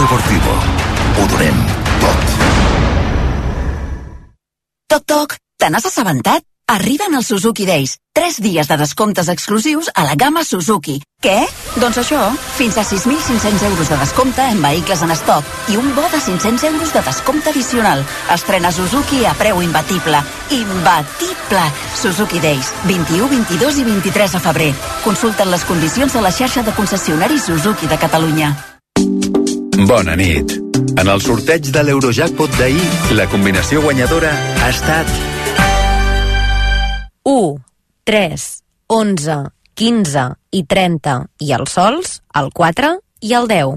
Deportivo. Ho donem tot. Toc, toc, te n'has assabentat? Arriben els Suzuki Days. 3 dies de descomptes exclusius a la gamma Suzuki. Què? Doncs això, fins a 6.500 euros de descompte en vehicles en estoc i un bo de 500 euros de descompte addicional. Estrena Suzuki a preu imbatible. Imbatible! Suzuki Days, 21, 22 i 23 de febrer. Consulta'n les condicions a la xarxa de concessionaris Suzuki de Catalunya. Bona nit. En el sorteig de l'Eurojackpot d'ahir, la combinació guanyadora ha estat 1, 3, 11, 15 i 30 i els sols, el 4 i el 10.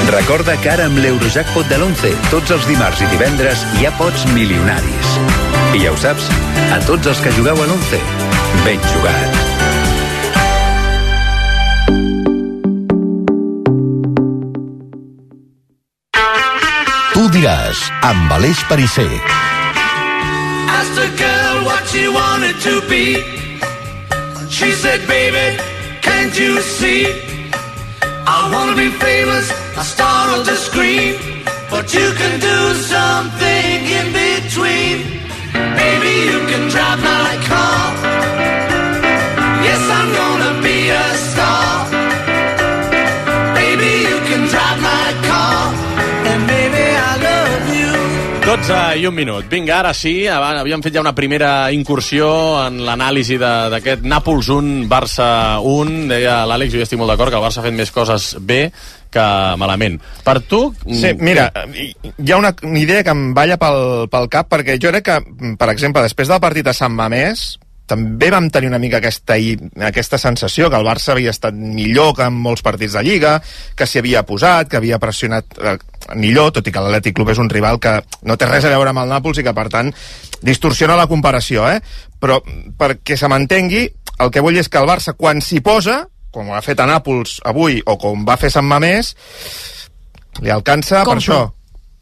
Recorda que ara amb l'Eurojackpot de l'11, tots els dimarts i divendres hi ha pots milionaris. I ja ho saps, a tots els que jugueu a l'11, ben jugat. Tu diràs, amb Aleix Perisser. Asked a girl what she wanted to be. She said, baby, can't you see? I want to be famous, a star on the screen. But you can do something in between. Baby, you can drive my car. Yes, I'm gonna be a star. Baby, you can drive my car. And baby, I love you. 12 i 1 minut. Vinga, ara sí, havíem fet ja una primera incursió en l'anàlisi d'aquest Nàpols 1, Barça 1. Deia l'Àlex, jo estic molt d'acord que el Barça ha fet més coses bé que malament. Per tu... Sí, mira, hi ha una idea que em balla pel cap, perquè jo crec que, per exemple, després del partit a Sant Mamés, també vam tenir una mica aquesta sensació que el Barça havia estat millor que en molts partits de Lliga, que s'hi havia posat, que havia pressionat millor, tot i que l'Atlètic Club és un rival que no té res a veure amb el Nàpols i que, per tant, distorsiona la comparació, Però, perquè se m'entengui, el que vull és que el Barça, quan s'hi posa, com ha fet a Nàpols avui, o com va fer Sant Mamés, li alcança per això.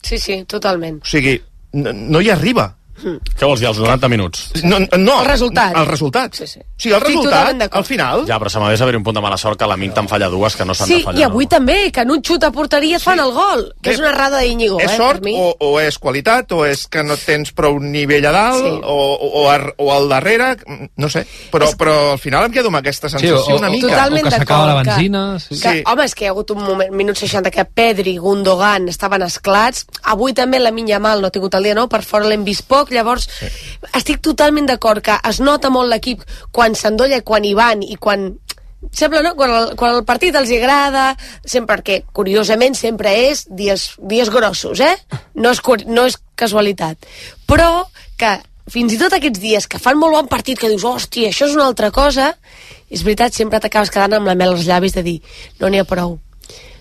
Sí, sí, totalment. O sigui, no hi arriba. Què vols dir, els 90 minuts? No, el resultat. El resultat. Sí, sí. Sí, el resultat, al final. Ja, però se m'ha haver un punt de mala sort que la Min te'n falla dues que no s'han de fallar. Sí, i avui també, que en un xut a porteria fan el gol, que és una errada d'Íñigo. És sort o és qualitat, o és que no tens prou nivell a dalt, o al darrere, no sé. Però al final em quedo amb aquesta sensació una mica. Totalment o que s'acaba la benzina. Home, és que hi ha hagut un moment, minut 60, que Pedri, Gundogan estaven esclats. Avui també la Min Yamal no ha tingut el dia nou, per fora l'hem vist poc, llavors... Estic totalment d'acord que es nota molt l'equip quan s'endolla, quan hi van i quan... Sembla, no? Quan el partit els agrada, sempre, perquè curiosament sempre és dies grossos, No és casualitat. Però que fins i tot aquests dies que fan molt bon partit, que dius, hòstia, això és una altra cosa, és veritat, sempre t'acabes quedant amb la mel als llavis de dir, no n'hi ha prou.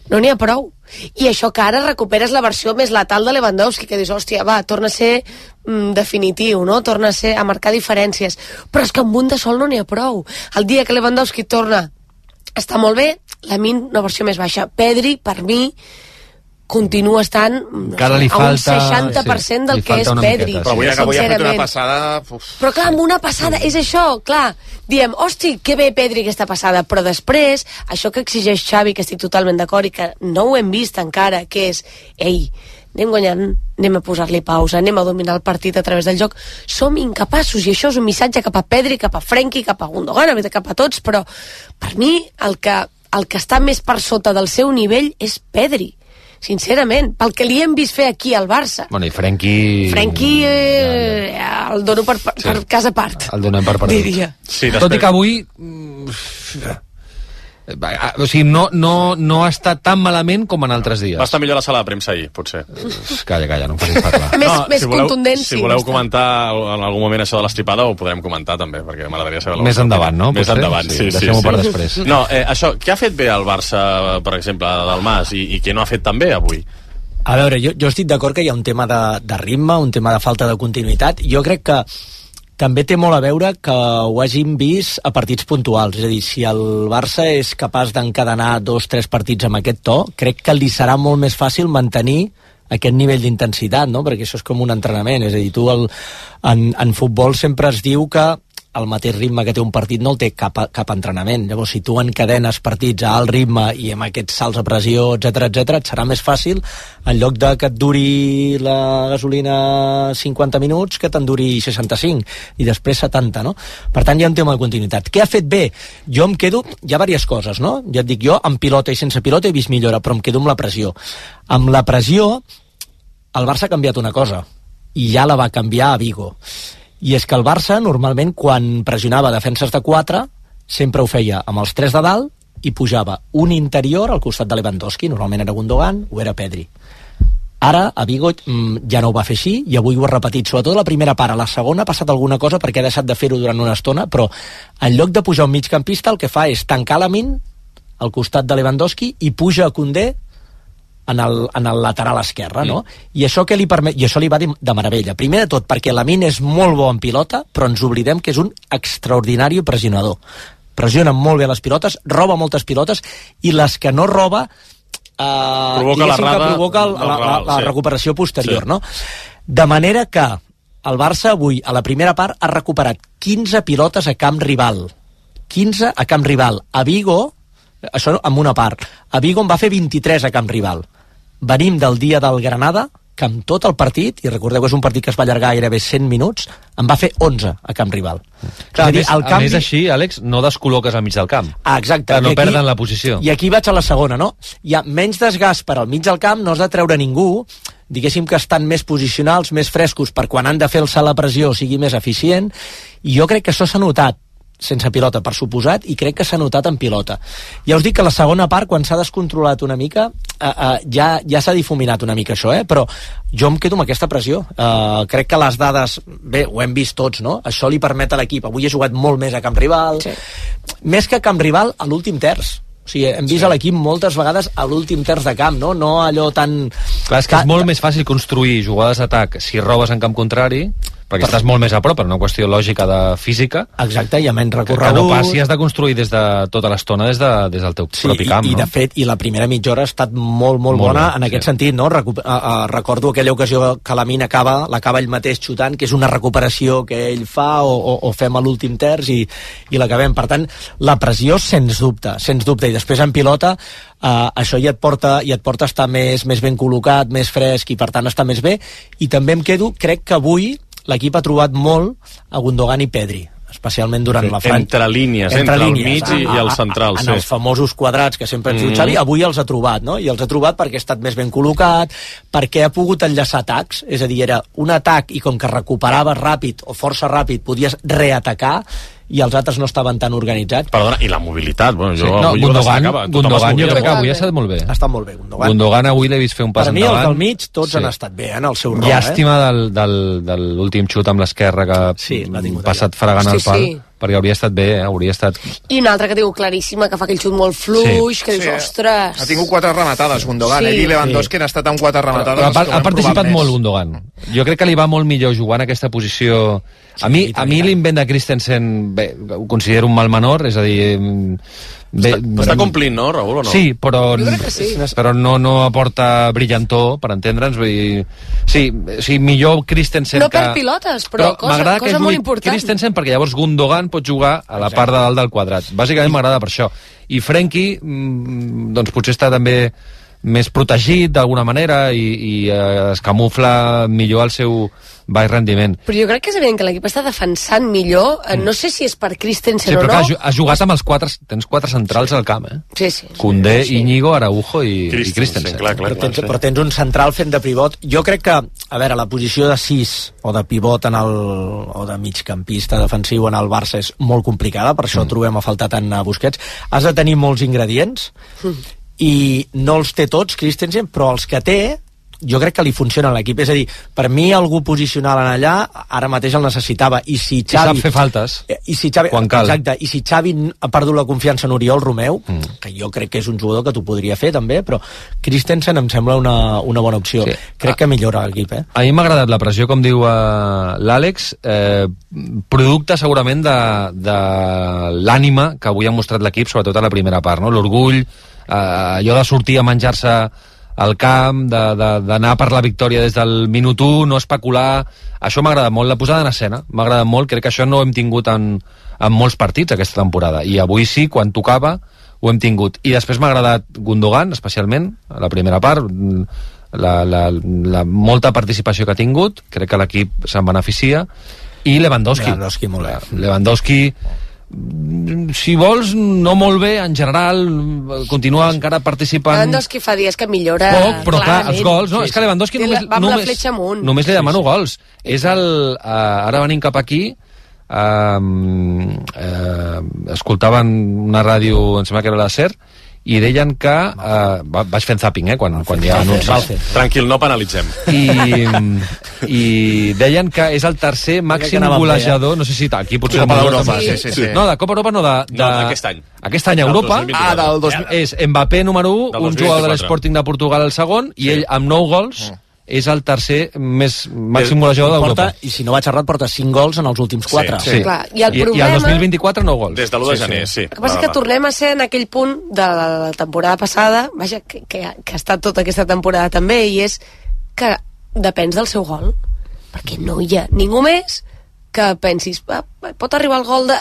No n'hi ha prou. I això que ara recuperes la versió més letal de Lewandowski, que dius, hòstia, va, torna a ser definitiu, no? Torna a marcar diferències. Però és que amb un de sol no n'hi ha prou. El dia que Lewandowski torna està molt bé, la Min una versió més baixa. Pedri, per mi, continua estant a un 60% del que és Pedri. Però avui ha fet una passada... Però clar, amb una passada, és això, clar, diem, hosti, que bé Pedri aquesta passada, però després, això que exigeix Xavi, que estic totalment d'acord i que no ho hem vist encara, que és, ei, anem guanyant, anem a posar-li pausa, anem a dominar el partit a través del joc, som incapaços, i això és un missatge cap a Pedri, cap a Frenkie, cap a Gundogan, cap a tots, però per mi el que està més per sota del seu nivell és Pedri. Sincerament, pel que li hem vist fer aquí al Barça. Bueno, i Frenkie el dono per cas a part. El donem per perdut. Diria. Sí, tot i que avui o sigui, no ha estat tan malament com en altres dies. Va estar millor a la sala de premsa ahir, potser. Calla, no em facis parlar. Més contundent, si voleu comentar en algun moment això de l'estripada, ho podrem comentar també, perquè m'agradaria saber... Més endavant, no? Més endavant, sí. Deixem-ho per després. No, això, què ha fet bé el Barça, per exemple, del Mas, i què no ha fet tan bé avui? A veure, jo estic d'acord que hi ha un tema de ritme, un tema de falta de continuïtat. Jo crec que també té molt a veure que ho hàgim vist a partits puntuals. És a dir, si el Barça és capaç d'encadenar 2-3 partits amb aquest to, crec que li serà molt més fàcil mantenir aquest nivell d'intensitat, no? Perquè això és com un entrenament. És a dir, tu en futbol sempre es diu que el mateix ritme que té un partit no el té cap entrenament. Llavors, si tu encadenes partits a alt ritme i amb aquests salts a pressió, etc et serà més fàcil, en lloc de que et duri la gasolina 50 minuts, que te'n duri 65 i després 70, no? Per tant, hi ha un tema de continuïtat. Què ha fet bé? Jo em quedo... Hi ha diverses coses, no? Ja et dic, jo amb pilota i sense pilota he vist millora, però em quedo amb la pressió. Amb la pressió, el Barça ha canviat una cosa, i ja la va canviar a Vigo. I és que el Barça, normalment, quan pressionava defenses de 4, sempre ho feia amb els 3 de dalt i pujava un interior al costat de Lewandowski, normalment era Gundogan o era Pedri. Ara, a Vigo ja no ho va fer així, i avui ho ha repetit, sobretot la primera part. A la segona ha passat alguna cosa perquè ha deixat de fer-ho durant una estona, però en lloc de pujar un migcampista, el que fa és tancar Lamine al costat de Lewandowski i puja a Koundé en el lateral esquerre, no? I això què li permet? I això li va de meravella. Primer de tot, perquè Lamine és molt bo en pilota, però ens oblidem que és un extraordinari pressionador. Pressiona molt bé les pilotes, roba moltes pilotes, i les que no roba provoca la recuperació posterior, no? De manera que el Barça avui, a la primera part, ha recuperat 15 pilotes a camp rival. 15 a camp rival. A Vigo, això en una part, a Vigo en va fer 23 a camp rival. Venim del dia del Granada, que amb tot el partit, i recordeu que és un partit que es va allargar gairebé 100 minuts, en va fer 11 a camp rival. Clar, a més així, Àlex, no descol·loques al mig del camp. Exacte. Que no perden la posició. I aquí vaig a la segona, no? Hi ha menys desgast per al mig del camp, no has de treure ningú, diguéssim que estan més posicionals, més frescos, per quan han de fer el salt a pressió sigui més eficient, i jo crec que això s'ha notat sense pilota, per suposat, i crec que s'ha notat en pilota. Ja us dic que la segona part, quan s'ha descontrolat una mica, ja s'ha difuminat una mica això, però jo em quedo amb aquesta pressió. Crec que les dades, bé, ho hem vist tots, no? Això li permet a l'equip. Avui he jugat molt més a camp rival, més que a camp rival, a l'últim terç. O sigui, hem vist a l'equip moltes vegades a l'últim terç de camp, no allò tan... Clar, és que és molt més fàcil construir jugades d'atac si robes en camp contrari, perquè estàs molt més a prop, per una qüestió lògica de física. Exacte, hi ha menys recorregut. Que no passi, has de construir des de tota l'estona des del teu propi camp, no? I de fet, i la primera mitja hora ha estat molt bona en aquest sentit, no? Recordo aquella ocasió que Lamine l'acaba ell mateix xutant, que és una recuperació que ell fa o fem a l'últim terç i l'acabem. Per tant, la pressió, sens dubte, i després en pilota això ja et porta a estar més ben col·locat, més fresc, i per tant està més bé. I també em quedo, crec que avui l'equip ha trobat molt a Gundogan i Pedri, especialment durant la franja. Entre línies, entre el mig i el central. En els famosos quadrats que sempre ens diu Xavi, avui els ha trobat, no? I els ha trobat perquè ha estat més ben col·locat, perquè ha pogut enllaçar atacs, és a dir, era un atac i com que recuperaves ràpid o força ràpid podies reatacar, i els altres no estaven tan organitzats. Perdona, i la mobilitat, bueno, Gundogan jo crec que avui ha estat molt bé. Ha estat molt bé, Gundogan avui l'he vist fer un pas endavant. Per mi, els del mig, tots han estat bé, en el seu rol. Llàstima de l'últim xut amb l'esquerra que ha passat fregant el pal, perquè hauria estat bé, hauria estat... I una altra que tinc claríssima, que fa aquell xut molt fluix, que dius, ostres... Ha tingut 4 rematades, Gundogan, i Lewandowski ha estat amb 4 rematades. Ha participat molt, Gundogan. Jo crec que li va molt millor jugar en aquesta posició. A mi l'invent de Christensen, bé, ho considero un mal menor, és a dir... Està complint, no, Raül, o no? Sí, però no aporta brillantor, per entendre'ns. Sí, millor Christensen no per pilotes, però cosa molt important. Christensen, perquè llavors Gundogan pot jugar a la part de dalt del quadrat. Bàsicament m'agrada per això. I Frenkie, doncs potser està també més protegit d'alguna manera i es camufla millor el seu baix rendiment. Però jo crec que és evident que l'equip està defensant millor, no sé si és per Christensen o no. Sí, però has jugat amb els 4, tens 4 centrals al camp, Sí. Koundé, Íñigo, Araujo i Christensen. Però tens un central fent de pivot. Jo crec que, a veure, la posició de 6 o de pivot o de migcampista defensiu en el Barça és molt complicada, per això trobem a faltar tant a Busquets. Has de tenir molts ingredients, i no els té tots Christensen, però els que té jo crec que li funciona a l'equip. És a dir, per mi algú posicional en allà ara mateix el necessitava, i si Xavi... I sap fer faltes, quan cal. Exacte, i si Xavi ha perdut la confiança en Oriol Romeu, que jo crec que és un jugador que t'ho podria fer també, però Christensen em sembla una bona opció. Crec que millora l'equip. A mi m'ha agradat la pressió, com diu l'Àlex, producte segurament de l'ànima que avui ha mostrat l'equip, sobretot a la primera part, no? L'orgull, allò de sortir a menjar-se al camp, d'anar per la victòria des del minut 1, no especular. Això m'agrada molt, la posada en escena. M'agrada molt, crec que això no ho hem tingut en molts partits aquesta temporada. I avui sí, quan tocava, ho hem tingut. I després m'ha agradat Gundogan, especialment, a la primera part, la molta participació que ha tingut, crec que l'equip se'n beneficia, i Lewandowski molt bé. Lewandowski, si vols, no molt bé, en general, continua encara participant... Lewandowski fa dies que millora... Poc, però clar, els gols... No, és que Lewandowski només li demano gols. És ara venim cap aquí, escoltaven una ràdio, em sembla que era la SER, i deien que... vaig fent zapping, quan hi ha anuncis. Tranquil, no penalitzem. I deien que és el tercer màxim golejador, no sé si aquí potser... Copa d'Europa, sí. No, de Copa Europa no, d'aquest any. Aquest any a Europa del 2000. és Mbappé número 1, un jugador de l'Sporting de Portugal el segon, i ell amb 9 gols és el tercer màxim golejador d'Europa. I si no vaig errat, porta 5 gols en els últims 4. Sí. Clar, i el I problema... el 2024 9 gols. Des de l'1 de gener, sí. El que passa és que tornem a ser en aquell punt de la temporada passada, vaja, que ha estat tota aquesta temporada també, i és que depens del seu gol, perquè no hi ha ningú més que pensis, pot arribar el gol de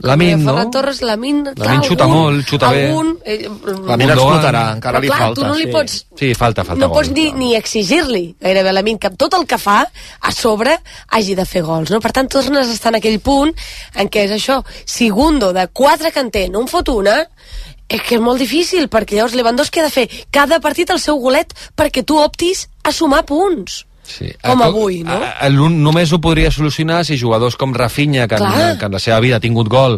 Lamine, Ferran Torres, Lamine xuta molt, xuta bé. Lamine explotarà, encara li clar, falta. Tu no li pots, falta no gol, pots ni exigir-li gairebé a Lamine que tot el que fa a sobre hagi de fer gols, no? Per tant, tornes a estar en aquell punt en què és això, si Gundo de 4 que en té no en fot una, és que és molt difícil, perquè llavors Lewandowski ha de fer cada partit el seu golet perquè tu optis a sumar punts. Sí. Com avui, no? Només ho podria solucionar si jugadors com Rafinha, que en la seva vida ha tingut gol,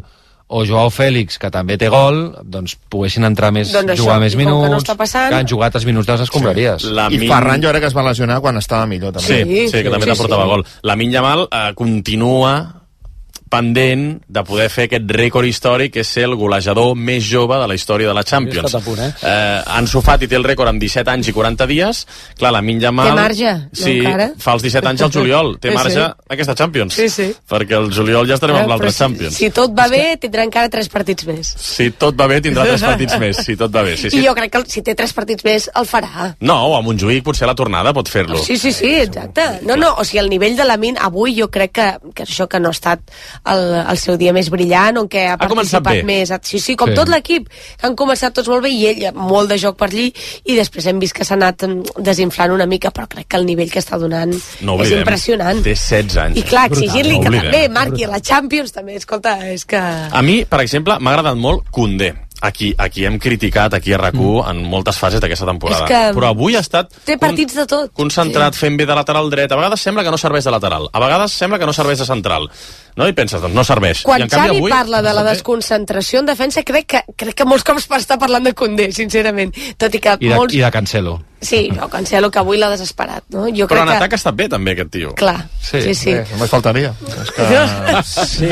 o Joao Félix, que també té gol, doncs poguessin entrar més, jugar més minuts, que han jugat els minuts de les escombraries. I Ferran jo crec que es va lesionar quan estava millor, també. Sí, que també t'aportava gol. Lamine Yamal continua pendent de poder fer aquest rècord històric, que és ser el golejador més jove de la història de la Champions. Ansu Fati té el rècord amb 17 anys i 40 dies. Clar, Lamine Yamal... Té marge, sí, no encara? Fa els 17 anys al juliol. Té marge aquesta Champions. Sí. Perquè el juliol ja estarem amb l'altre Champions. Si tot va bé, tindrà encara 3 partits més. Si tot va bé, tindrà 3 partits més. Si tot va bé, sí. I jo crec que si té 3 partits més, el farà. No, o a Montjuïc potser a la tornada pot fer-lo. Sí, exacte. No, o sigui, el nivell de Lamine avui jo crec que això que no ha estat el seu dia més brillant, on que ha participat més. Sí, com tot l'equip, que han començat tots molt bé, i ell molt de joc per allí, i després hem vist que s'ha anat desinflant una mica, però crec que el nivell que està donant és impressionant. Té 16 anys. I clar, exigir-li que també marqui la Champions, també, escolta, és que... A mi, per exemple, m'ha agradat molt Koundé. Aquí hem criticat, aquí a RAC1, en moltes fases d'aquesta temporada. Però avui ha estat... Té partits de tot. Concentrat, fent bé de lateral dret. A vegades sembla que no serveix de lateral. A vegades sembla que no serveix de central. No? I penses, doncs no serveix. Quan Xavi parla de la desconcentració en defensa, crec que molts cops està parlant de Koundé, sincerament. Tot i que I de Cancelo. Sí, Cancelo, que avui l'ha desesperat. No? Jo però crec en atac ha estat bé, també, aquest tio. Clar, sí. Només faltaria. Sí.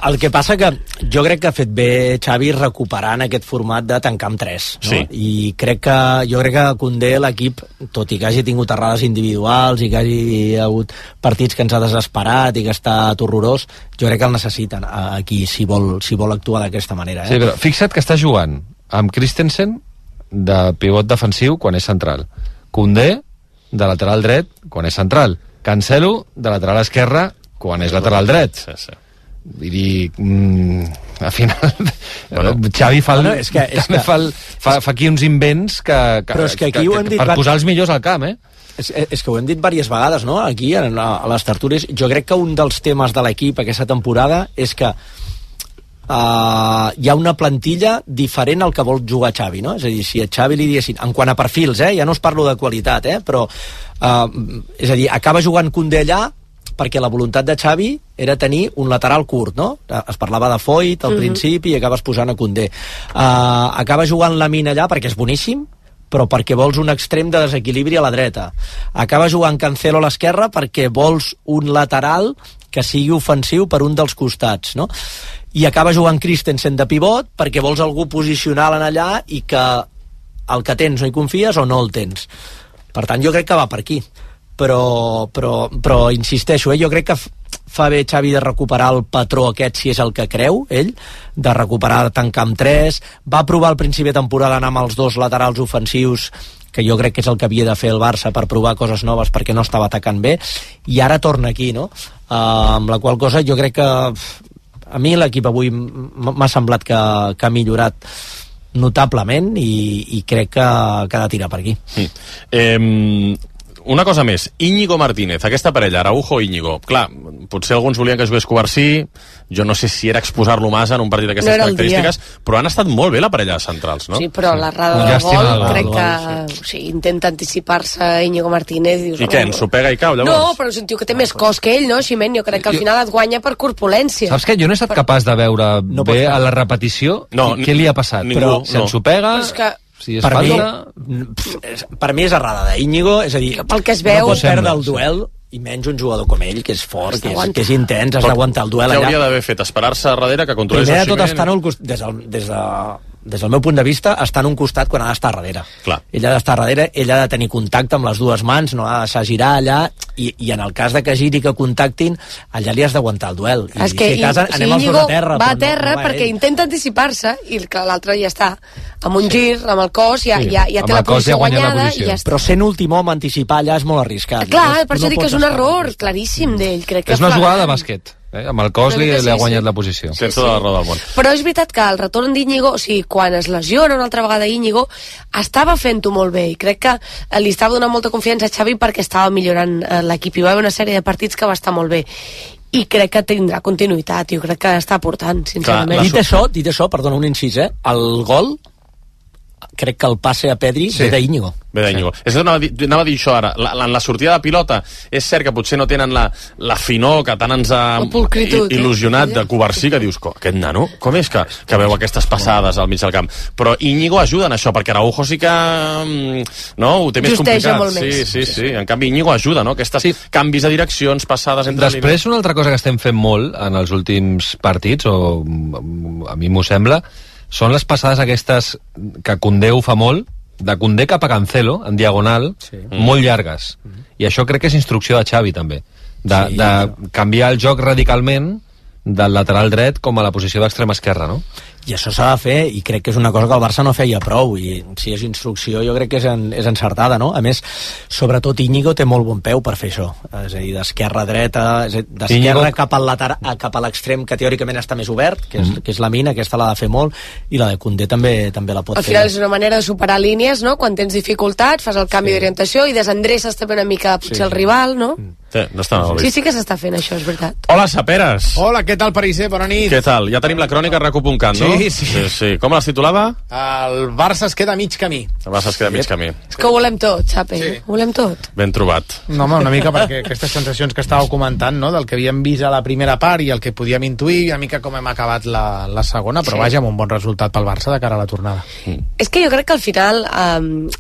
El que passa que jo crec que ha fet bé Xavi recuperant aquest format de tancar amb 3, no? Sí. I jo crec que Koundé, l'equip, tot i que hagi tingut errades individuals i que hagi hagut partits que ens ha desesperat i que ha estat horrorós, jo crec que el necessiten aquí si vol actuar d'aquesta manera. Sí, però fixa't que està jugant amb Christensen de pivot defensiu quan és central, Koundé de lateral dret quan és central, Cancelo de lateral esquerra quan és lateral dret. Sí. Vull dir, al final Xavi fa aquí uns invents però és que aquí ho hem dit per posar els millors al camp, És que ho hem dit diverses vegades, no? Aquí, a les tertúlies. Jo crec que un dels temes de l'equip aquesta temporada és que hi ha una plantilla diferent al que vol jugar Xavi, no? És a dir, si a Xavi li diguessin, en quant a perfils, ja no us parlo de qualitat, però és a dir, acaba jugant Koundé allà perquè la voluntat de Xavi era tenir un lateral curt, no? Es parlava de Foyt al principi i acabes posant a Koundé. Acaba jugant Lamine allà perquè és boníssim, però perquè vols un extrem de desequilibri a la dreta. Acaba jugant Cancelo a l'esquerra perquè vols un lateral que sigui ofensiu per un dels costats, no? I acaba jugant Christensen de pivot perquè vols algú posicional en allà i que el que tens no hi confies o no el tens. Per tant, jo crec que va per aquí. Però insisteixo, jo crec que fa bé Xavi de recuperar el patró aquest, si és el que creu ell, de recuperar, tancar amb 3. Va provar al principi de temporada anar amb els 2 laterals ofensius que jo crec que és el que havia de fer el Barça per provar coses noves perquè no estava atacant bé, i ara torna aquí, no? Amb la qual cosa jo crec que a mi l'equip avui m'ha semblat que ha millorat notablement i crec que ha de tirar per aquí. Una cosa més, Íñigo Martínez, aquesta parella, Araujo-Íñigo, clar, potser alguns volien que jugués Covarsí, jo no sé si era exposar-lo massa en un partit d'aquestes característiques, però han estat molt bé la parella de centrals, no? Sí, però l'errada del gol, crec que intenta anticipar-se Íñigo Martínez. I què, ens ho pega i cau, llavors? No, però és un tio que té més cos que ell, no, Ximent? Jo crec que al final et guanya per corpulència. Saps què? Jo no he estat capaç de veure bé a la repetició què li ha passat. Però si ens ho pega... Si és per mi és errada d'Íñigo, és a dir, pel que es veu, no pots perdre el duel i menys un jugador com ell, que és fort, que és intens, has d'aguantar el duel allà. Què hauria d'haver fet? Esperar-se a darrere que controlés el Ximent? Primer de tot estar des del meu punt de vista, està en un costat quan ha d'estar darrere. Clar. Ell ha d'estar darrere, ell ha de tenir contacte amb les dues mans, no ha de deixar girar allà, i en el cas de que giri, que contactin, allà li has d'aguantar el duel. És que anem els dos a terra. Va a terra perquè intenta anticipar-se, i l'altre ja està, amb un gir, amb el cos, ja té la posició guanyada, i ja està. Però sent últim home, anticipar allà és molt arriscat. Clar, per això dic que és un error claríssim d'ell. És una jugada de bàsquet. Amb el cos li ha guanyat la posició. Sense tota la raó del món. Però és veritat que el retorn d'Íñigo, o sigui, quan es lesiona una altra vegada Íñigo, estava fent-ho molt bé, i crec que li estava donant molta confiança a Xavi perquè estava millorant l'equip, i va haver una sèrie de partits que va estar molt bé. I crec que tindrà continuïtat, jo crec que està portant, sincerament. Dit això, perdona un incís, el gol, crec que el passe a Pedri ve d'Íñigo. Ve d'Íñigo. Anava a dir això ara. En la sortida de pilota és cert que potser no tenen la finor que tant ens ha il·lusionat de Covarsí, que dius, aquest nano, com és que veu aquestes passades al mig del camp? Però Íñigo ajuda en això, perquè Araujo sí que ho té més complicat. Sí. En canvi Íñigo ajuda, no? Aquests canvis de direccions, passades entre línies. Després, una altra cosa que estem fent molt en els últims partits, o a mi m'ho sembla, són les passades aquestes que Koundé ho fa molt, de Koundé cap a Cancelo, en diagonal, molt llargues. I això crec que és instrucció de Xavi, també. De canviar el joc radicalment del lateral dret com a la posició d'extrema esquerra, no? I això s'ha de fer, i crec que és una cosa que el Barça no feia prou, i si és instrucció jo crec que és encertada, no? A més, sobretot Íñigo té molt bon peu per fer això, és a dir, d'esquerra a dreta, d'esquerra cap al lateral, cap a l'extrem que teòricament està més obert, que és la mina, aquesta l'ha de fer molt, i la de Koundé també la pot fer. Al final és una manera de superar línies, no? Quan tens dificultats, fas el canvi d'orientació i desendreces també una mica potser el rival, no? No està mal vist. Sí que s'està fent això, és veritat. Hola, Saperes. Hola, què tal, Pariser? Bona nit. Què tal? Ja tenim la crònica recu.cat, no? Sí. Com les titulava? El Barça es queda a mig camí. El Barça es queda a mig camí. És que ho volem tot, Xapi. Ho volem tot. Ben trobat. No, home, una mica perquè aquestes sensacions que estàveu comentant, no?, del que havíem vist a la primera part i el que podíem intuir, una mica com hem acabat la segona, però vaja, amb un bon resultat pel Barça de cara a la tornada. És que jo crec que al final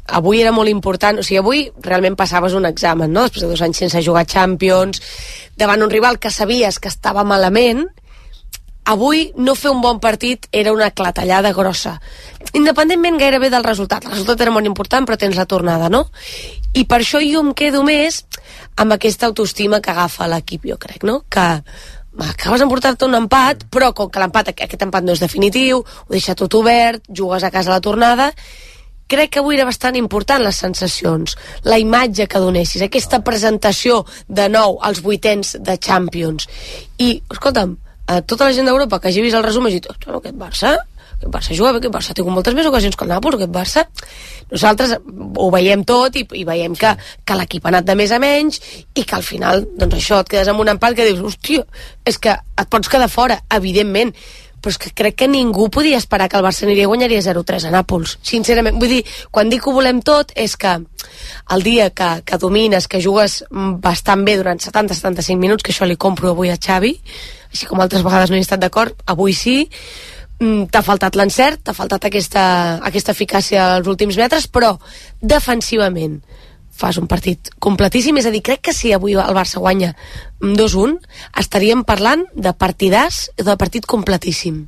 avui era molt important, o sigui, avui realment passaves un examen, no?, després de 2 anys sense jugar Champions, davant un rival que sabies que estava malament. Avui no fer un bon partit era una clatellada grossa, independentment gairebé del resultat. El resultat era molt important, però tens la tornada, no? I per això jo em quedo més amb aquesta autoestima que agafa l'equip, jo crec, no? Que acabes d'emportar-te un empat, però com que aquest empat no és definitiu, ho deixa tot obert, jugues a casa a la tornada. Crec que avui era bastant important les sensacions, la imatge que donessis, aquesta presentació de nou als 8ens de Champions. I, escolta'm, tota la gent d'Europa que hagi vist el resum ha dit, aquest Barça juga bé, aquest Barça ha tingut moltes més ocasions que el Nàpols, aquest Barça. Nosaltres ho veiem tot i veiem que l'equip ha anat de més a menys i que al final, doncs això, et quedes amb un empat que dius, hòstia, és que et pots quedar fora, evidentment, però és que crec que ningú podia esperar que el Barça aniria i guanyaria 0-3 a Nàpols, sincerament. Vull dir, quan dic que ho volem tot és que el dia que domines, que jugues bastant bé durant 70-75 minuts, que això li compro avui a Xavi, així com altres vegades no he estat d'acord, avui sí, t'ha faltat l'encert, t'ha faltat aquesta eficàcia als últims metres, però defensivament fas un partit completíssim. És a dir, crec que si avui el Barça guanya 2-1 estaríem parlant de partidàs, de partit completíssim.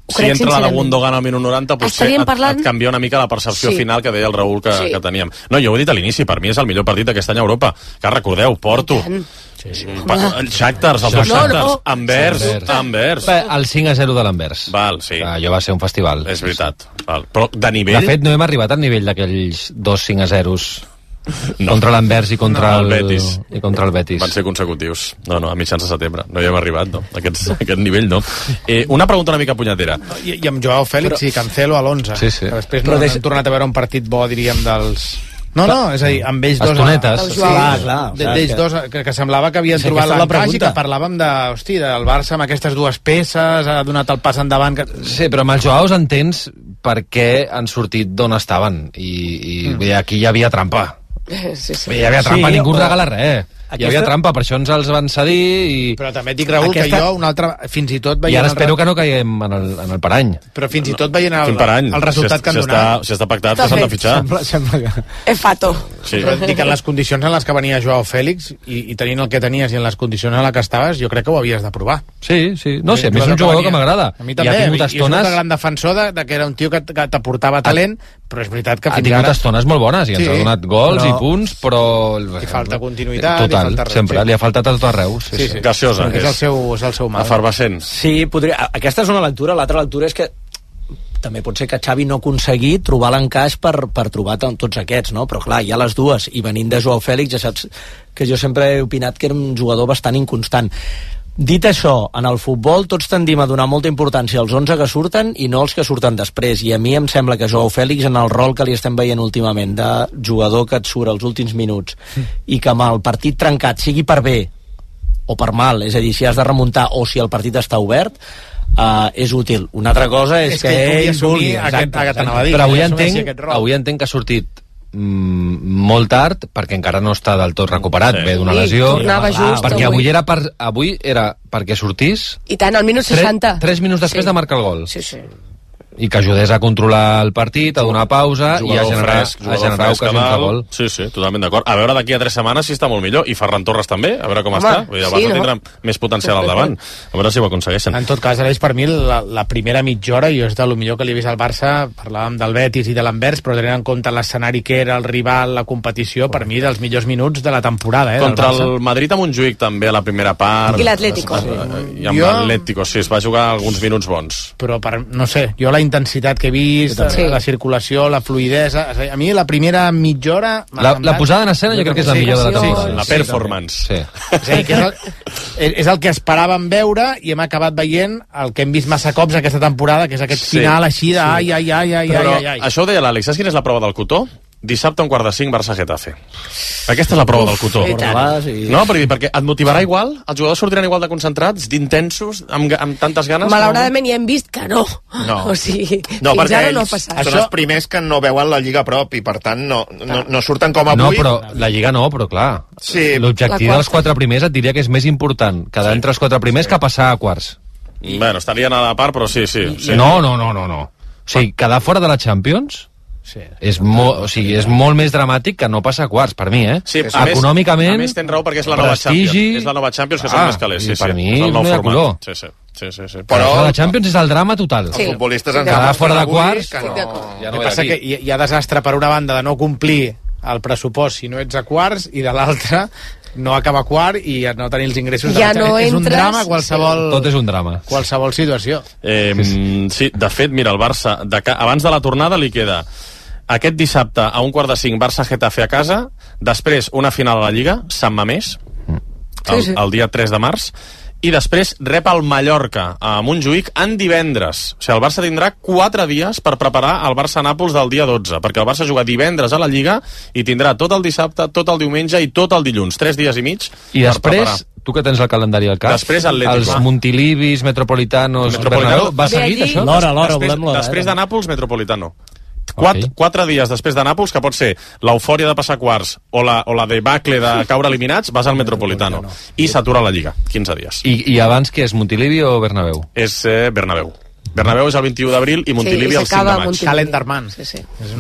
si entra la de Gundogan al minut 90, potser et canvia una mica la percepció final que deia el Raül que teníem. No, jo ho he dit a l'inici, per mi és el millor partit d'aquest any a Europa. Que recordeu, Porto, Shakhtar, els dos Shakhtars, Anvers. El 5-0 de l'Anvers. Val, sí. Allò va ser un festival. És veritat. Però de nivell... De fet, no hem arribat al nivell d'aquells 2 5-0 contra l'Anvers i contra el Betis. Van ser consecutius. No, a mitjans de setembre. No hi hem arribat, no. Aquest nivell, no. Una pregunta una mica punyetera. I amb Joao Fèlix i Cancelo a l'11. Sí. Després no hem tornat a veure un partit bo, diríem, dels... No, és a dir, amb ells dos... Estonetes. D'ells dos, que semblava que havien trobat l'encaix i que parlàvem del Barça amb aquestes dues peces, ha donat el pas endavant... Sí, però amb els Joaos entens per què han sortit d'on estaven. I aquí hi havia trampa. Hi havia trampa, ningú regala res. Hi havia trampa, per això ens els van cedir i... Però també et dic, Raül, que jo un altre... Fins i tot veient... I ara espero que no caiguem en el parany. Però fins i tot veient el resultat que han donat... Si està pactat, que s'han de fitxar. Sembla que... És fato. Però et dic que en les condicions en les que venia Joao Fèlix i tenint el que tenies i en les condicions en les que estaves, jo crec que ho havies de provar. Sí. No sé, a mi és un jugador que m'agrada. A mi també, i és un gran defensor de que era un tio que t'aportava talent, però és veritat que fins ara... Ha tingut estones molt bones i ens ha donat gols i punts, però... Li falta continuïtat, total, sempre, li ha faltat a tot arreu. Graciosa. És el seu mal. Efervescent. Sí, aquesta és una lectura. L'altra lectura és que també pot ser que Xavi no aconseguir trobar l'encaix per trobar tots aquests, no? Però clar, hi ha les dues, i venint de Joao Fèlix ja saps que jo sempre he opinat que era un jugador bastant inconstant. Dit això, en el futbol tots tendim a donar molta importància als 11 que surten i no als que surten després, i a mi em sembla que Joao Fèlix, en el rol que li estem veient últimament de jugador que et surt als últims minuts i que amb el partit trencat, sigui per bé o per mal, és a dir, si has de remuntar o si el partit està obert, és útil. Una altra cosa és que ell vulgui. Però avui entenc que ha sortit molt tard perquè encara no està del tot recuperat, ve d'una lesió, perquè avui era perquè sortís i tant, al minut 60 3 minuts després de marcar el gol i que ajudés a controlar el partit, a donar pausa i a generar ocasions de gol. Sí, totalment d'acord. A veure d'aquí a 3 setmanes si està molt millor, i Ferran Torres també, a veure com està. El Barça tindrà més potencial al davant. A veure si ho aconsegueixen. En tot cas, per mi, la primera mitja hora, jo és de lo millor que li he vist al Barça, parlàvem del Betis i de l'Anvers, però tenint en compte l'escenari que era, el rival, la competició, per mi, dels millors minuts de la temporada. Contra el Madrid a Montjuïc també, a la primera part. I l'Atlético. I amb l'Atlético, sí, es va jugar alguns minuts bons. Però, no sé, jo la intensitat que he vist, la circulació, la fluidesa... A mi la primera mitja hora... La posada en escena jo crec que és la millor de la temporada. La performance. És a dir, que és el que esperàvem veure i hem acabat veient el que hem vist massa cops aquesta temporada, que és aquest final així de ai. Però això ho deia l'Àlex, saps quina és la prova del cotó? Dissabte, 4:45, Barça-Getafe. Aquesta és la prova del cotó. No, perquè et motivarà igual? Els jugadors sortiran igual de concentrats, d'intensos, amb tantes ganes? Malauradament ja hem vist que no. O sigui, fins ara no ha passat. Són els primers que no veuen la Lliga a prop i, per tant, no surten com avui. No, però la Lliga no, però clar. L'objectiu dels 4 primers et diria que és més important quedar entre els 4 primers que passar a quarts. Bueno, estarien a la part, però sí. No. O sigui, quedar fora de la Champions... Sí. És molt més dramàtic que no passar a quarts, per mi, Sí, econòmicament, a més tens raó perquè és la nova Champions. És la nova Champions que són més calés. Per mi no hi ha color. Sí. Però la Champions és el drama total. Els futbolistes ens quedar fora de quarts... El que passa que hi ha desastre per una banda de no complir el pressupost si no ets a quarts, i de l'altra no acaba quart i no tenir els ingressos és un drama qualsevol... Tot és un drama. Qualsevol situació. Sí, de fet, mira, el Barça abans de la tornada li queda aquest dissabte a 4:45 Barça-Getafe a casa, després una final a la Lliga, Sant Mamés, el dia 3 de març, i després rep el Mallorca a Montjuïc en divendres. O sigui, el Barça tindrà 4 dies per preparar el Barça-Nàpols del dia 12, perquè el Barça juga divendres a la Lliga i tindrà tot el dissabte, tot el diumenge i tot el dilluns, 3 dies i mig. I després, tu que tens el calendari al cap, després els Montilivis, Metropolitanos, Bernabéu, va seguit això? L'hora, volem l'hora. Després de Nàpols, Metropolitano. 4 dies després de Nàpols, que pot ser l'eufòria de passar quarts o la debacle de caure eliminats, vas al Metropolitano. I s'atura la Lliga, 15 dies. I abans què és, Montilivi o Bernabéu? És Bernabéu. Bernabéu és el 21 d'abril i Montilivi el 5 de maig. Calendarman.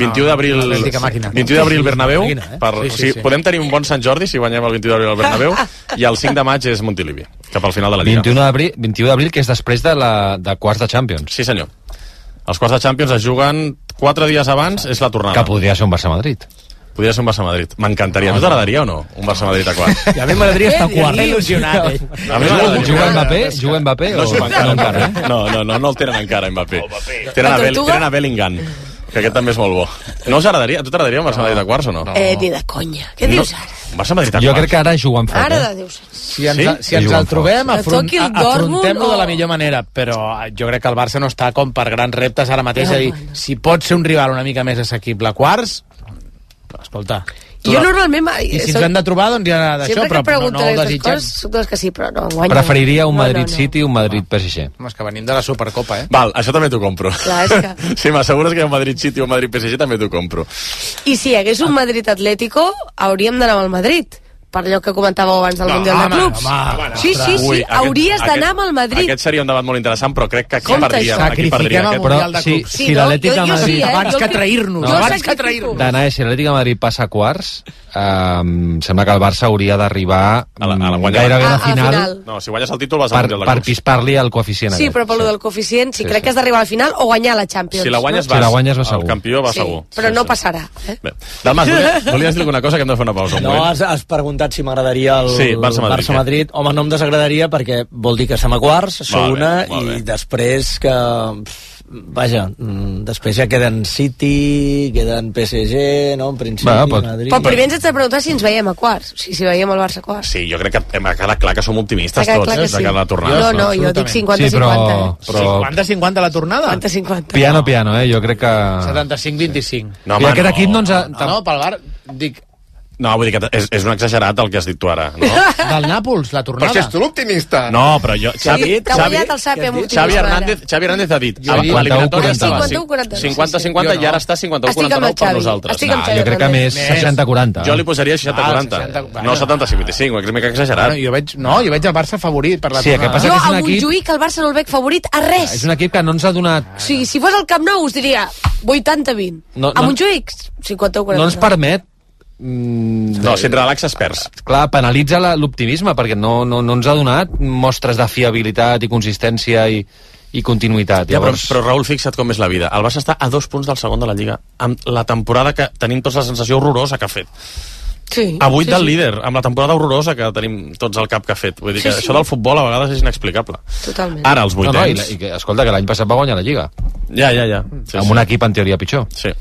21 d'abril Bernabéu. Podem tenir un bon Sant Jordi si guanyem el 21 d'abril al Bernabéu, i el 5 de maig és Montilivi, cap al final de la Lliga. 21 d'abril, que és després de quarts de Champions. Sí, senyor. Els quarts de Champions es juguen 4 dies abans, és la tornada. Que podria ser un Barça-Madrid. Podria ser un Barça-Madrid. M'encantaria. No t'agradaria o no? Un Barça-Madrid a quarts. I a mi m'agradaria estar a quarts. Il·lusionat, A mi m'agradaria. Juga Mbappé o no encara? No el tenen encara, Mbappé. Tenen a Bellingham, que aquest també és molt bo. No us agradaria? A tu t'agradaria un Barça-Madrid a quarts o no? Ni de conya. Què dius ara? Un Barça-Madrid a quarts? Jo crec que ara juguen fort. Ara de Déu. Si ens el trobem, afrontem-lo de la millor manera, però jo crec que el Barça no està com per grans reptes ara mateix, és a dir, si pot ser un rival una mica més assequible a quarts, escolta... Jo normalment... I si ens hem de trobar, doncs ja d'això, però no ho desitgem. Soc dels que sí, però no guanyo. Preferiria un Madrid-City i un Madrid-PSG. És que venim de la Supercopa, Val, això també t'ho compro. Clar, és que... Si m'assegures que hi ha un Madrid-City o un Madrid-PSG, també t'ho compro. I si hi hagués un Madrid-Atlético, hauríem d'anar amb el Madrid. Per allò que comentàveu abans del Mundial de Clubs. Sí, hauries d'anar amb el Madrid. Aquest seria un debat molt interessant, però crec que aquí perdria. Sacrifiquem el Mundial de Clubs. Si l'Atlètic de Madrid... Abans que trair-nos. Danae, si l'Atlètic de Madrid passa a quarts, sembla que el Barça hauria d'arribar gairebé a la final. No, si guanyes el títol vas al Mundial de Clubs. Per pispar-li el coeficient. Sí, però pel del coeficient, si crec que has d'arribar a la final o guanyar la Champions. Si la guanyes va segur. El campió va segur. Però no passarà. Bé, Dalmas, volies dir alguna cosa que hem de fer una pausa? No, has preguntat si m'agradaria el Barça-Madrid. Home, no em desagradaria perquè vol dir que estem a quarts, això una, i després que... Vaja, després ja queden City, queden PSG, no? En principi, Madrid... Però primer ens has de preguntar si ens veiem a quarts, si veiem el Barça a quarts. Sí, jo crec que m'ha quedat clar que som optimistes tots, de cara a la tornada. No, jo dic 50-50. 50-50 la tornada? 50-50. Piano, jo crec que... 75-25. No, home, aquest equip no ens ha... No, pel Bar... Dic... No, vull dir que és un exagerat el que has dit tu ara, no? Del Nàpols, la tornada. Però si ets tu l'optimista. No, però jo... Xavi Hernández ha dit l'eliminatòria estava 50-50 i ara està 51-49 per nosaltres. Jo crec que més 60-40. Jo li posaria 60-40, no 75-25, és mica exagerat. Jo veig el Barça favorit per la tornada. Jo a Montjuïc el Barça no el veig favorit a res. És un equip que no ens ha donat... O sigui, si fos al Camp Nou us diria 80-20. A Montjuïc 50-40. No ens permet no, si et relaxes perds. Clar, penalitza l'optimisme perquè no ens ha donat mostres de fiabilitat i consistència i continuïtat. Ja, però Raül, fixa't com és la vida. El Barça està a 2 punts del segon de la Lliga amb la temporada que tenim tots la sensació horrorosa que ha fet. A 8 del líder, amb la temporada horrorosa que tenim tots al cap que ha fet. Vull dir que això del futbol a vegades és inexplicable. Totalment. Ara els vuitens... Escolta, que l'any passat va guanyar la Lliga. Ja. Amb un equip en teoria pitjor. Sí.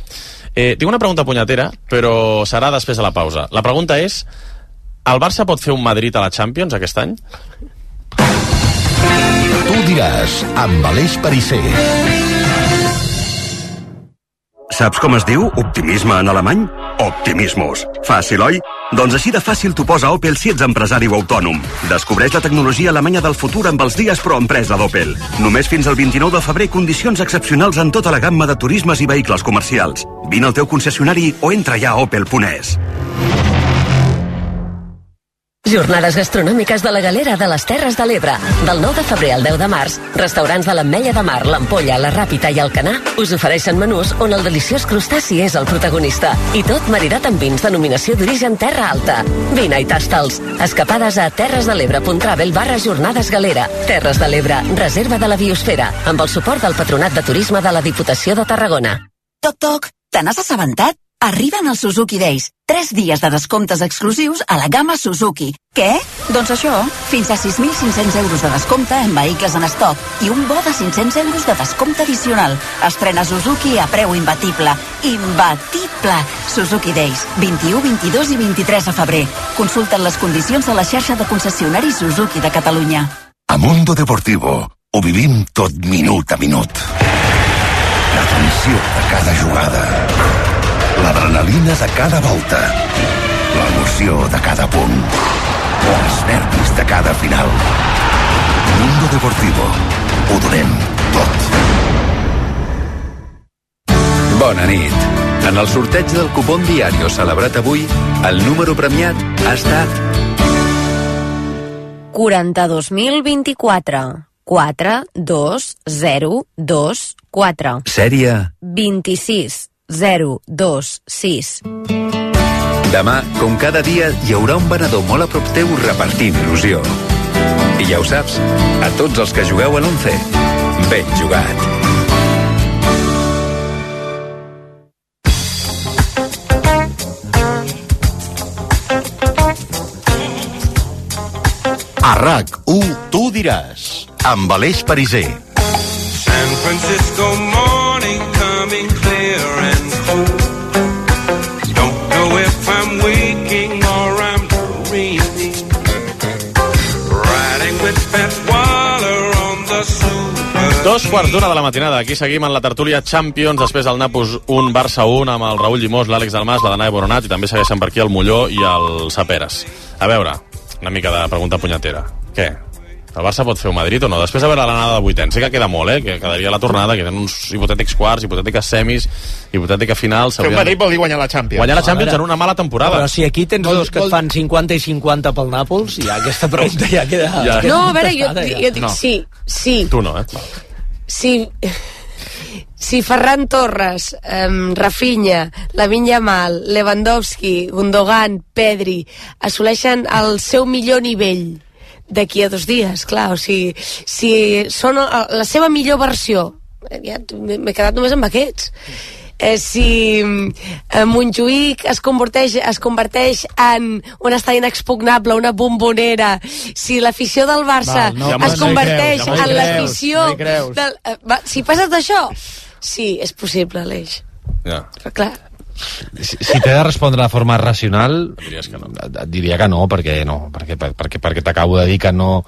Tinc una pregunta punyetera, però serà després de la pausa. La pregunta és: el Barça pot fer un Madrid a la Champions aquest any? Tu diràs, amb Aleix Perisser. Saps com es diu optimisme en alemany? Optimismus. Fàcil, oi? Doncs així de fàcil t'ho posa Opel si ets empresari o autònom. Descobreix la tecnologia alemanya del futur amb els dies pro empresa d'Opel. Només fins al 29 de febrer condicions excepcionals en tota la gamma de turismes i vehicles comercials. Vine al teu concessionari o entra ja a opel.es. Jornades gastronòmiques de la Galera de les Terres de l'Ebre. Del 9 de febrer al 10 de març, restaurants de l'Ametlla de Mar, l'Ampolla, la Ràpita i el Canà us ofereixen menús on el deliciós crustaci és el protagonista. I tot maridat amb vins denominació d'origen Terra Alta. Vine i tasta'ls. Escapades a terresdelebre.travel/jornades galera. Terres de l'Ebre, reserva de la biosfera, amb el suport del Patronat de Turisme de la Diputació de Tarragona. Toc, toc, te n'has assabentat? Arriben els Suzuki Days. 3 dies de descomptes exclusius a la gamma Suzuki. Què? Doncs això, fins a 6.500 euros de descompte en vehicles en estoc i un bo de 500 euros de descompte addicional. Estrena Suzuki a preu imbatible. Imbatible! Suzuki Days, 21, 22 i 23 de febrer. Consulta'n les condicions a la xarxa de concessionaris Suzuki de Catalunya. A Mundo Deportivo ho vivim tot minut a minut. La tensió de cada jugada. L'adrenalina de cada volta, l'emoció de cada punt, els nervis de cada final. Mundo Deportivo, ho donem tot. Bona nit. En el sorteig del cupón Diario celebrat avui, el número premiat ha estat 42.024 42024. Sèrie 26026. Demà, com cada dia, hi haurà un venedor molt a prop teu repartint il·lusió. I ja ho saps, a tots els que jugueu a l'11, ben jugat. A RAC1 Tu diràs, amb Aleix Pariser. San Francisco morning coming clear and cold. Don't know if I'm waking or I'm dreaming. Riding with Pat Waller on the Super. 2:15 de la matinada. Aquí seguim en la tertúlia Champions, després del Nàpols 1, Barça 1, amb el Raül Llimós, l'Àlex Dalmas, la Danae Boronat, i també segueixen per aquí el Molló i el Saperes. A veure, una mica de pregunta punyetera. Què? El Barça pot fer un Madrid o no? Després de veure l'anada de vuitens, sé que queda molt, que quedaria la tornada, que tenen uns hipotètics quarts, hipotètiques semis, hipotètica final... Fer un Madrid vol dir guanyar la Champions. Guanyar la Champions en una mala temporada. Però si aquí tens dos que et fan 50 i 50 pel Nàpols, ja aquesta pregunta ja queda... Ja. No, a veure, jo dic No. sí. Tu no, Si Ferran Torres, Rafinha, Lamine Yamal, Lewandowski, Gundogan, Pedri assoleixen el seu millor nivell d'aquí a 2 dies, clar, o sigui, si són la seva millor versió, ja m'he quedat només amb aquests. Si Montjuïc es converteix en un estadi inexpugnable, una bombonera, si l'afició del Barça es converteix en l'afició del... Si passa això, sí, és possible, Aleix. Ja. Però clar... Si t'he de respondre de forma racional, et diria que no, perquè t'acabo de dir que no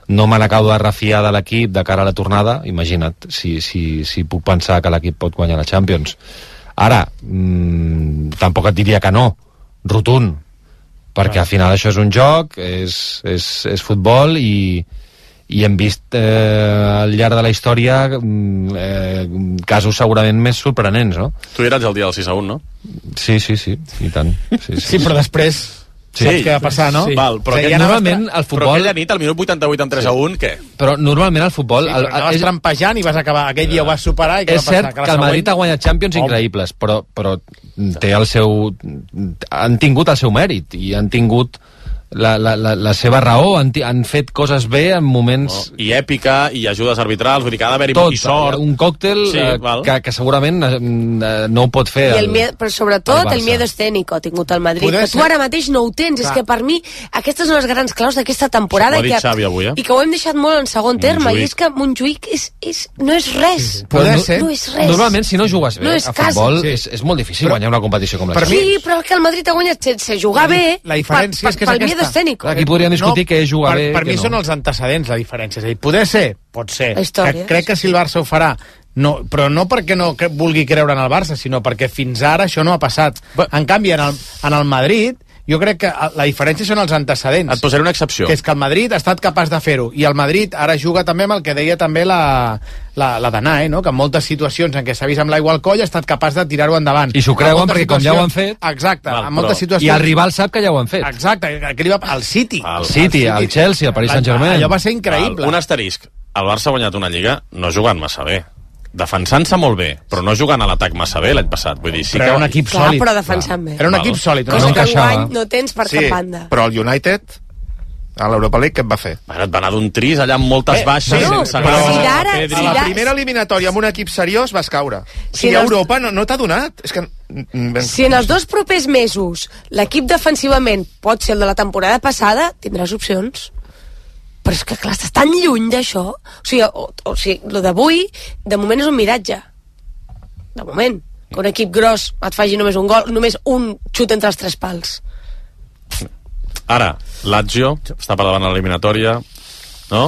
me n'acabo de refiar de l'equip de cara a la tornada. Imagina't si puc pensar que l'equip pot guanyar la Champions. Ara, tampoc et diria que no, rotund, perquè al final això és un joc, és futbol, i hem vist al llarg de la història casos segurament més sorprenents, no? Tu hi eres el dia del 6-1, no? Sí, i tant. Sí, però després saps què va passar, no? Sí. Val, però normalment el futbol... Però aquella nit, al minut 88 amb 3-1, què? Però normalment el futbol... Sí, anaves trampejant i vas acabar... Aquell dia ho vas superar i què va passar? És cert que el Madrid ha guanyat Champions increïbles, però té el seu... Han tingut el seu mèrit i han tingut la seva raó, han fet coses bé en moments... I èpica, i ajudes arbitrals, vull dir que ha d'haver-hi i sort. Un còctel que segurament no ho pot fer però sobretot el miedo escénico ha tingut el Madrid, que tu ara mateix no ho tens. És que per mi aquestes són les grans claus d'aquesta temporada, ho ha dit Xavi avui, i que ho hem deixat molt en segon terme, i és que Montjuïc no és res. No és res. Normalment, si no jugues bé a futbol, és molt difícil guanyar una competició com la Sí, però que el Madrid ha guanyat sense jugar bé. La diferència és que és aquesta. Aquí podríem discutir què és jugar bé. Per mi són els antecedents la diferència. És a dir, poder ser, pot ser. Crec que si el Barça ho farà, no, però no perquè no vulgui creure en el Barça, sinó perquè fins ara això no ha passat. En canvi, en el Madrid, jo crec que la diferència són els antecedents. Et posaré una excepció. Que és que el Madrid ha estat capaç de fer-ho, i el Madrid ara juga també amb el que deia també la Danae, no? Que en moltes situacions en què s'ha vist amb l'aigua al coll ha estat capaç de tirar-ho endavant. I s'ho creuen perquè com ja ho han fet... Exacte, en moltes situacions... I el rival sap que ja ho han fet. Exacte, el City. El Chelsea, el Paris Saint-Germain. Allò va ser increïble. Un asterisc. El Barça ha guanyat una Lliga no jugant massa bé. Defensant-se molt bé, però no jugant a l'atac massa bé l'any passat. Vull dir, sí però que... era un equip sòlid. Però defensant bé. Era un equip sòlid. Cosa que enguany no tens per cap banda. Però el United, a l'Europa League, què et va fer? Bueno, et va anar d'un tris allà amb moltes baixes. Sense a la primera eliminatòria amb un equip seriós vas caure. Si a Europa no t'ha donat. És que... Si en els 2 propers mesos l'equip defensivament pot ser el de la temporada passada, tindràs opcions. Però és que, clar, estàs tan lluny d'això. O sigui, el d'avui, de moment és un miratge. De moment. Que un equip gros et faci només un gol, només un xut entre els 3 pals. Ara, Lazio està per davant a l'eliminatòria, no?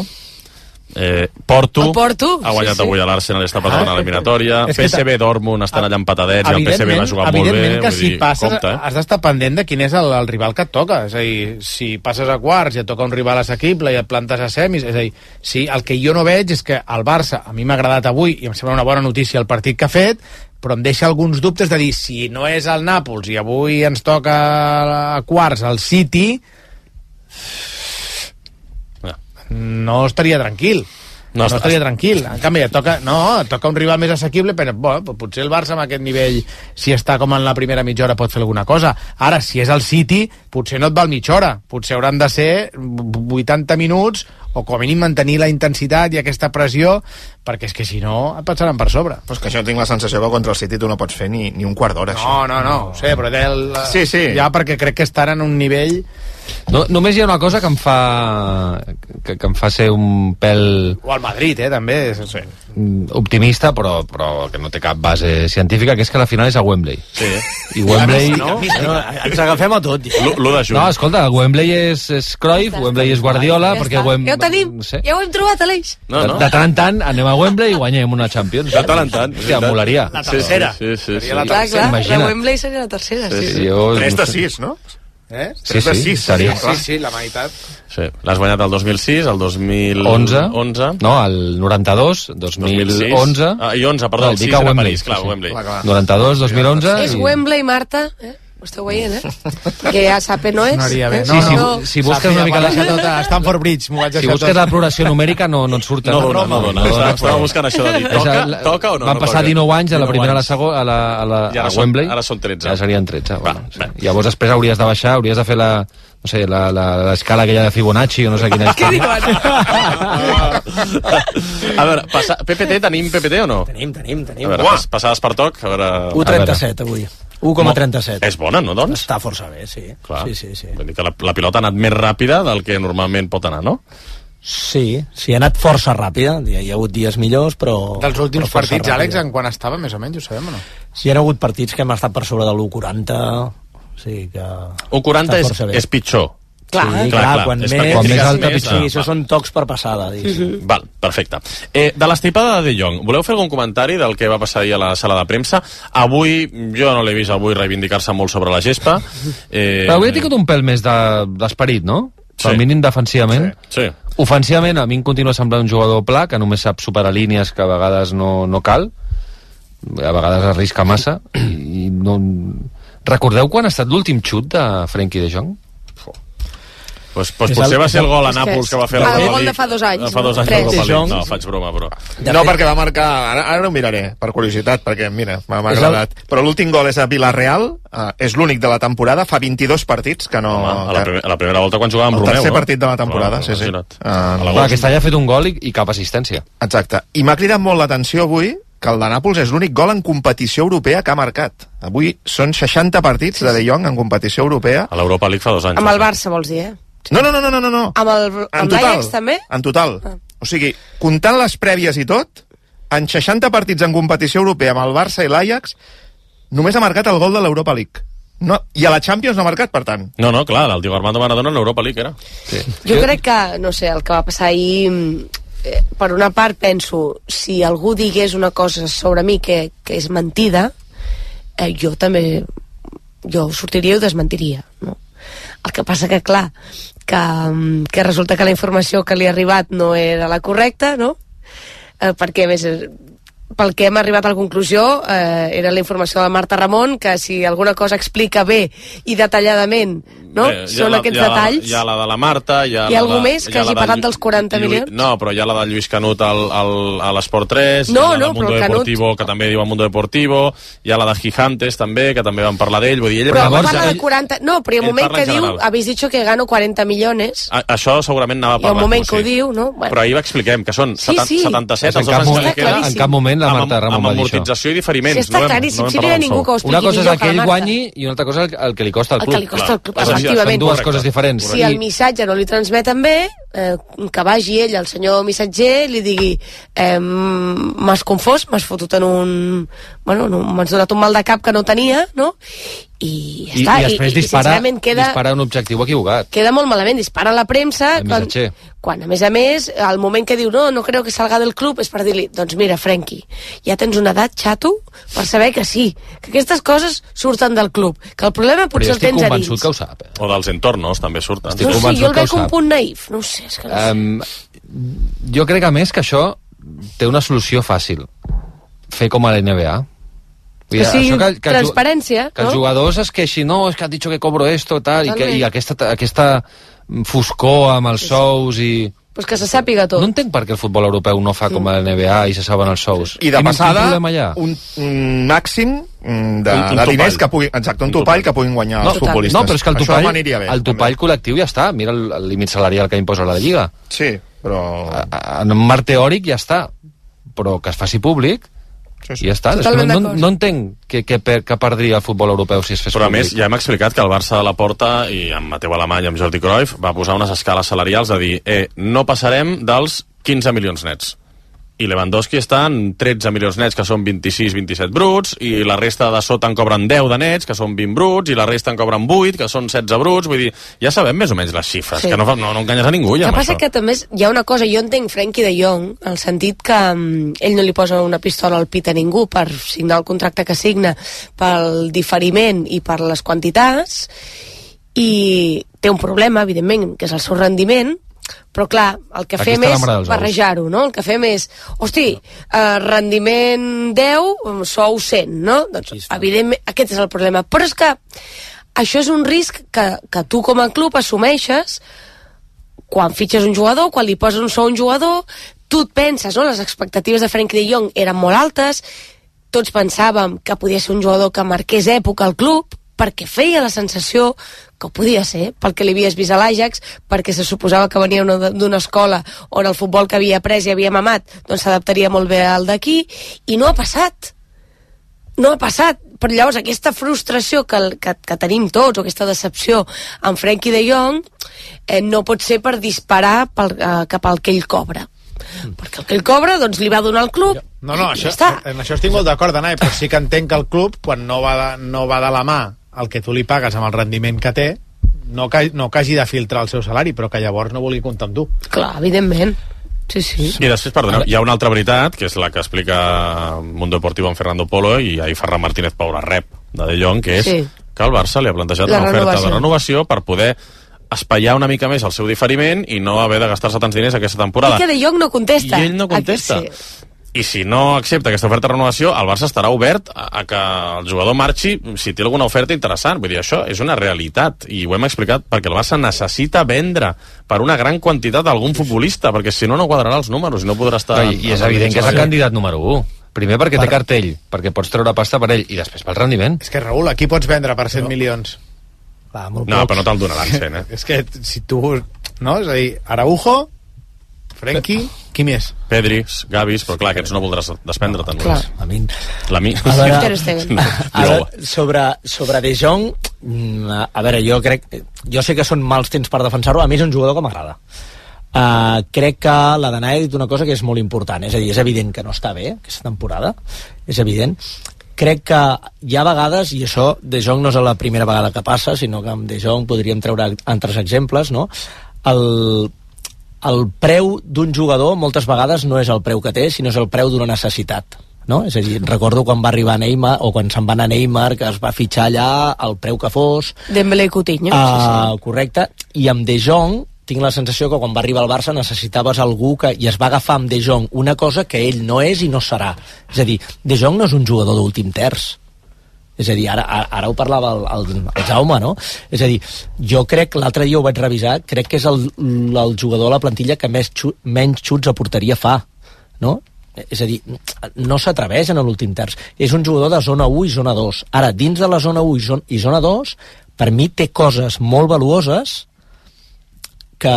Porto ha guanyat avui a l'Arsenal i està per davant a l'eliminatòria. PSV, Dortmund estan allà empatadets i el PSV va jugar molt bé. Evidentment que si passes has d'estar pendent de quin és el rival que et toca. És a dir, si passes a quarts i et toca un rival assequible i et plantes a semis, és a dir, sí, el que jo no veig és que el Barça, a mi m'ha agradat avui i em sembla una bona notícia el partit que ha fet, però em deixa alguns dubtes de dir, si no és el Nàpols i avui ens toca a quarts el City, no estaria tranquil. No estaria tranquil. En canvi, et toca un rival més assequible, però potser el Barça amb aquest nivell, si està com en la primera mitja hora, pot fer alguna cosa. Ara, si és el City, potser no et val mitja hora. Potser hauran de ser 80 minuts o com a mínim mantenir la intensitat i aquesta pressió, perquè és que si no et passaran per sobre. Però és que jo tinc la sensació que contra el City tu no pots fer ni un quart d'hora. No, ho sé, però sí. ja perquè crec que estan en un nivell... No, només hi ha una cosa que em fa ser un pèl... O al Madrid, també. Sí. Optimista, però que no té cap base científica, que és que la final és a Wembley. Sí. I Wembley... Ens agafem a tot. L'1 de juny. No, escolta, Wembley és Cruyff, Wembley és Guardiola, perquè Ja ho tenim, ja ho hem trobat, Aleix. De tant en tant anem a Wembley i guanyem una Champions. De tant en tant. Hòstia, molaria. La tercera. Sí. Clar, la Wembley seria la tercera. 3 de 6, no? Sí, seria. Sí, la meitat. Sí, l'has guanyat el 2006, el 2011... No, el 92, 2011... I 11, perdó, el 6 era París, clar, Wembley. 92, 2011... És Wembley, Marta, Ho esteu veient, Perquè ja Sape no és. Sonaria bé. Si busques una mica... Stanford Bridge, m'ho vaig deixar si busques la progressió numèrica no et surt. No dona. Estava buscant això de dir, toca o no? Van passar 19 anys a la primera a la segona, a Wembley. Ara són 13. Ja serien 13. Llavors després hauries de baixar, hauries de fer la... No sé, l'escala aquella de Fibonacci o no sé quina és. Què diuen? A veure, PPT, tenim PPT o no? Tenim. A veure, passades per toc, a veure... 1,37 avui. 1,37. És bona, no, doncs? Està força bé, sí. Clar. Sí. Vull dir que la pilota ha anat més ràpida del que normalment pot anar, no? Sí, ha anat força ràpida. Hi ha hagut dies millors, però... Dels últims partits, Àlex, en quan estava, més o menys, ho sabem o no? Sí, hi ha hagut partits que hem estat per sobre de l'1,40... Sí, que... 1,40 és pitjor. Clar, quan més alta pitjor. Sí, això són tocs per passada. Val, perfecte. De l'estripada de De Jong, voleu fer algun comentari del que va passar ahir a la sala de premsa? Avui, jo no l'he vist avui reivindicar-se molt sobre la gespa. Però avui ha tingut un pèl més d'esperit, no? Pel mínim defensivament. Sí. Ofensivament, a mi em continua semblant un jugador pla, que només sap superar línies que a vegades no cal. A vegades arrisca massa. I no... Recordeu quan ha estat l'últim xut de Frenkie de Jong? Pues potser va ser el gol a Nàpols que va fer el gol de fa 2 anys. Fa 2 anys la Copa League. No, faig broma, però... No, perquè va marcar... Ara ho miraré, per curiositat, perquè, mira, m'ha agradat. Però l'últim gol és a Villarreal, és l'únic de la temporada, fa 22 partits que no... Home, a la primera volta quan jugava amb Romeu. El tercer partit de la temporada, sí. Aquest any ha fet un gol i cap assistència. Exacte. I m'ha cridat molt l'atenció avui que el de Nàpols és l'únic gol en competició europea que ha marcat. Avui són 60 partits de De Jong en competició europea. A l'Europa League fa 2 anys. Amb el Barça, vols dir, No. Amb l'Ajax, també? En total. O sigui, comptant les prèvies i tot, en 60 partits en competició europea amb el Barça i l'Ajax, només ha marcat el gol de l'Europa League. No, i a la Champions no ha marcat, per tant. No, clar, el Diego Armando Maradona en l'Europa League era. Sí. Jo crec que, no sé, el que va passar ahir... per una part penso, si algú digués una cosa sobre mi que és mentida, jo també sortiria i ho desmentiria, no? El que passa que, clar, que resulta que la informació que li ha arribat no era la correcta, no? Perquè, a més, pel que hem arribat a la conclusió, era la informació de Marta Ramon, que si alguna cosa explica bé i detalladament, no? Són aquests detalls. Hi ha la de la Marta, hi ha algú més que hagi parlat dels 40 milions? No, però hi ha la de Lluís Canut a l'Esport 3, no, hi ha la del Mundo Deportivo, que també diu el Mundo Deportivo, hi ha la de Gigantes, també, que també van parlar d'ell. Però parla de 40... No, però hi ha un moment que diu, habéis dicho que gano 40 millones. Això segurament anava parlant. Hi ha un moment que ho diu, no? Però ahir expliquem que són 77, en cap moment la Marta Ramon va dir això. Amb amortització i diferiments. Sí, està claríssim, si no hi ha ningú que ho expliqui millor que la Marta. Una cosa és que ell guanyi i una altra cosa el que li costa al club. El que li costa al club, efectivament. Són dues coses diferents. Si el missatge no li transmeten bé, que vagi ell, el senyor missatger, li digui m'has confós, m'has fotut en un... Bueno, m'has donat un mal de cap que no tenia, no? I ja està. I després dispara un objectiu equivocat. Queda molt malament, dispara a la premsa quan a més, al moment que diu no creo que salga del club, és per dir-li, doncs mira, Frenkie, ja tens una edat, xato, per saber que sí, que aquestes coses surten del club, que el problema potser el tens a dins. Però jo estic convençut que ho sap. O dels entornos també surten. No, sí, jo el veig un punt naïf, no ho sé, és que no sé. Jo crec a més que això té una solució fàcil, fer com a la NBA. Que sí, transparència, que els jugadors es queixin, no, és que han dit que cobro esto, tal, i aquesta foscor amb els sous i... Pues que se sàpiga tot. No entenc per què el futbol europeu no fa com a la NBA i se saben els sous. I de passada, un màxim de diners que puguin... Exacte, un topall que puguin guanyar els futbolistes. No, però és que el topall col·lectiu ja està. Mira el límit salarial que imposa la Lliga. Sí. però... En un marc teòric ja està, però que es faci públic i ja està. No entenc que perdria el futbol europeu si es fes però públic. A més, ja hem explicat que el Barça de la Porta i amb Mateu Alemany i amb Jordi Cruyff va posar unes escales salarials a dir no passarem dels 15 milions nets. I Lewandowski està en 13 milions nets, que són 26-27 bruts, i la resta de sota en cobren 10 de nets, que són 20 bruts, i la resta en cobren 8, que són 16 bruts. Vull dir, ja sabem més o menys les xifres, que no enganyes a ningú ja amb això. El que passa que també hi ha una cosa, jo entenc Frenkie de Jong, en el sentit que ell no li posa una pistola al pit a ningú per signar el contracte que signa, pel diferiment i per les quantitats, i té un problema, evidentment, que és el seu rendiment, però clar, el que fem és barrejar-ho, no? El que fem és, rendiment 10, sou 100, no? Doncs, evidentment, aquest és el problema. Però és que això és un risc que tu com a club assumeixes quan fitxes un jugador, quan li poses un sou a un jugador, tu et penses, no? Les expectatives de Frenkie de Jong eren molt altes, tots pensàvem que podia ser un jugador que marqués època al club, perquè feia la sensació que ho podia ser, pel que li havies vist a l'Ajax, perquè se suposava que venia d'una escola on el futbol que havia après i havia mamat doncs s'adaptaria molt bé al d'aquí, i no ha passat. No ha passat. Però llavors aquesta frustració que tenim tots, o aquesta decepció amb Frenkie de Jong, no pot ser per disparar cap al que ell cobra. Perquè el que ell cobra doncs li va donar al club. No, en això estic molt d'acord, Anai, però sí que entenc que el club, quan no va de la mà el que tu li pagues amb el rendiment que té, no que hagi de filtrar el seu salari, però que llavors no vulgui comptar amb tu. Clar, evidentment. Sí. I després, perdoneu, hi ha una altra veritat, que és la que explica Mundo Deportivo amb Fernando Polo, i ahir Ferran Martínez Paura rep de Jong, que és que el Barça li ha plantejat una oferta de renovació per poder espaiar una mica més el seu diferiment i no haver de gastar-se tants diners aquesta temporada. I que De Jong no contesta. I ell no contesta. I si no accepta aquesta oferta de renovació, el Barça estarà obert a que el jugador marxi si té alguna oferta interessant. Vull dir, això és una realitat, i ho hem explicat, perquè el Barça necessita vendre per una gran quantitat d'algun futbolista, perquè si no, no quadrarà els números i no podrà estar... I és evident que és el candidat número 1. Primer perquè té cartell, perquè pots treure pasta per ell, i després pel rendiment. És que, Raül, aquí pots vendre per 100 milions. No, però no te'l donaran 100, És que si tu... No? És a dir, Araujo, Frenkie, qui més? Pedri, Gavis, però clar, aquests no voldràs desprendre-te'n. Sobre De Jong, a veure, jo sé que són mals temps per defensar-ho, a mi és un jugador que m'agrada. Crec que la Danai ha dit una cosa que és molt important, és a dir, és evident que no està bé aquesta temporada, és evident. Crec que hi ha vegades, i això De Jong no és la primera vegada que passa, sinó que amb De Jong podríem treure altres exemples, no? El preu d'un jugador moltes vegades no és el preu que té, sinó és el preu d'una necessitat, no? És a dir, recordo quan va arribar Neymar, o quan se'n va anar Neymar, que es va fitxar allà el preu que fos. Dembélé i Coutinho. Correcte, i amb De Jong tinc la sensació que quan va arribar al Barça necessitaves algú i es va agafar amb De Jong una cosa que ell no és i no serà. És a dir, De Jong no és un jugador d'últim terç. És a dir, ara ho parlava el Jaume, no? És a dir, jo crec, l'altre dia ho vaig revisar, crec que és el jugador de la plantilla que menys xuts a porteria fa, no? És a dir, no s'atreveix en l'últim terç. És un jugador de zona 1 i zona 2. Ara, dins de la zona 1 i zona 2, per mi té coses molt valuoses que,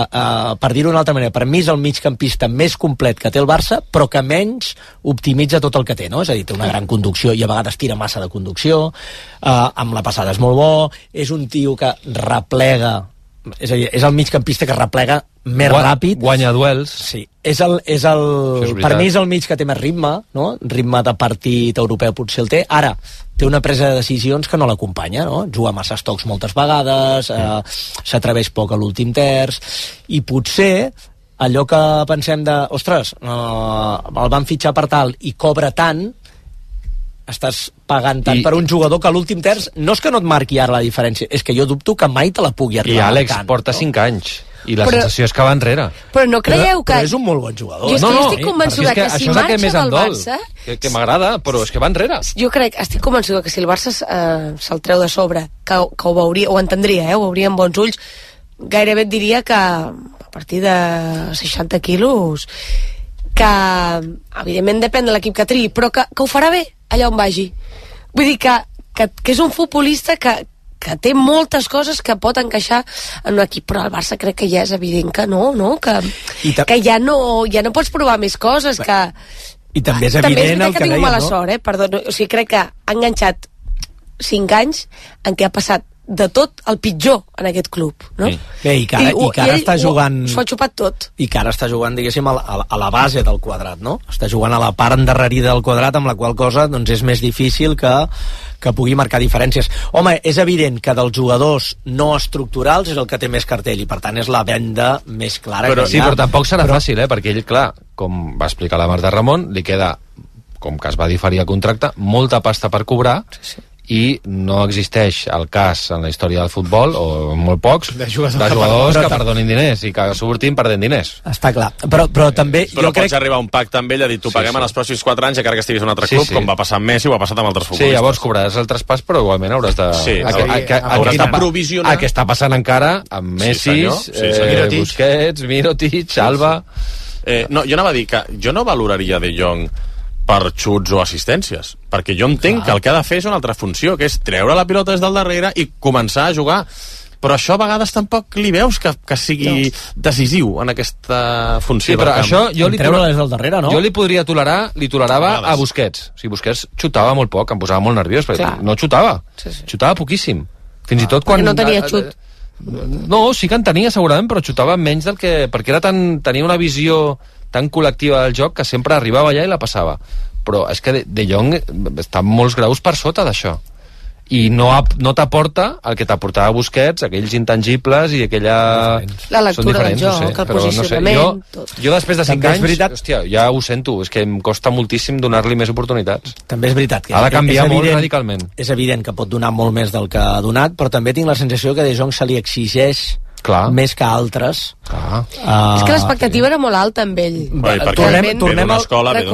per dir-ho d'una altra manera, per mi és el migcampista més complet que té el Barça, però que menys optimitza tot el que té, no? És a dir, té una gran conducció i a vegades tira massa de conducció, amb la passada és molt bo, és un tio que replega, és a dir, és el migcampista que replega més ràpid. Guanya duels. Sí, per mi és el mig que té més ritme, no? Ritme de partit europeu potser el té. Ara, té una presa de decisions que no l'acompanya, no? Juga massa estocs moltes vegades, s'atreveix poc a l'últim terç, i potser allò que pensem de, ostres, el van fitxar per tal i cobra tant, estàs pagant tant per un jugador que a l'últim terç no és que no et marqui ara la diferència, és que jo dubto que mai te la pugui arribar. I Àlex porta 5 anys i la sensació és que va enrere. Però no creieu que... Però és un molt bon jugador. Jo estic convençuda que si marxa del Barça... Que m'agrada, però és que va enrere. Jo estic convençuda que si el Barça se'l treu de sobre, que ho veuria, ho entendria, ho veuria amb bons ulls, gairebé et diria que a partir de 60 quilos, que evidentment depèn de l'equip que triï, però que ho farà bé allà on vagi. Vull dir que és un futbolista que que té moltes coses que pot encaixar en un equip, però el Barça crec que ja és evident que no? Que ja no pots provar més coses, que... I també és evident el que tinc dèiem, mala no? sort, perdó, o sigui, crec que ha enganxat 5 anys en què ha passat de tot el pitjor en aquest club, no? Bé, i que ara està jugant... S'ho ha xupat tot. I que ara està jugant, diguéssim, a la base del quadrat, no? Està jugant a la part endarrerida del quadrat, amb la qual cosa doncs, és més difícil que pugui marcar diferències. Home, és evident que dels jugadors no estructurals és el que té més cartell, i per tant és la venda més clara que hi ha. Sí, però tampoc serà fàcil, perquè ell, clar, com va explicar la Marta Ramon, li queda, com que es va diferir el contracte, molta pasta per cobrar, i no existeix el cas en la història del futbol, o molt pocs, de jugadors que perdonin diners i que surtin perdent diners. Està clar, però també... Però pots arribar a un pacte amb ell, a dir, tu paguem en els pròxims 4 anys, encara que estiguis en un altre club, com va passar amb Messi o ha passat amb altres futbolistes. Sí, llavors cobraràs el traspàs, però igualment hauràs de... hauràs de provisionar... El que està passant encara amb Messi, Busquets, Mirotic, Alba... No, jo anava a dir que jo no valoraria De Jong per xuts o assistències, perquè jo entenc que el que ha de fer és una altra funció, que és treure la pilota des del darrere i començar a jugar, però això a vegades tampoc li veus que sigui decisiu en aquesta funció. Sí, però això jo li des del darrere, no? Jo li podria tolerava a Busquets. O sigui, Busquets xutava molt poc, em posava molt nerviós, perquè no xutava, xutava poquíssim. Fins i tot quan... no tenia xut. No, sí que en tenia segurament, però xutava menys del que... perquè tenia una visió tan col·lectiva del joc que sempre arribava allà i la passava. Però és que De Jong està molts graus per sota d'això. I no t'aporta el que t'aportava Busquets, aquells intangibles i aquella... La lectura del joc, el posicionament... Jo després de 5 anys, hòstia, ja ho sento, és que em costa moltíssim donar-li més oportunitats. També és veritat que ha de canviar molt radicalment. És evident que pot donar molt més del que ha donat, però també tinc la sensació que De Jong se li exigeix més que altres. És que l'expectativa era molt alta amb ell. Tornem d'una escola que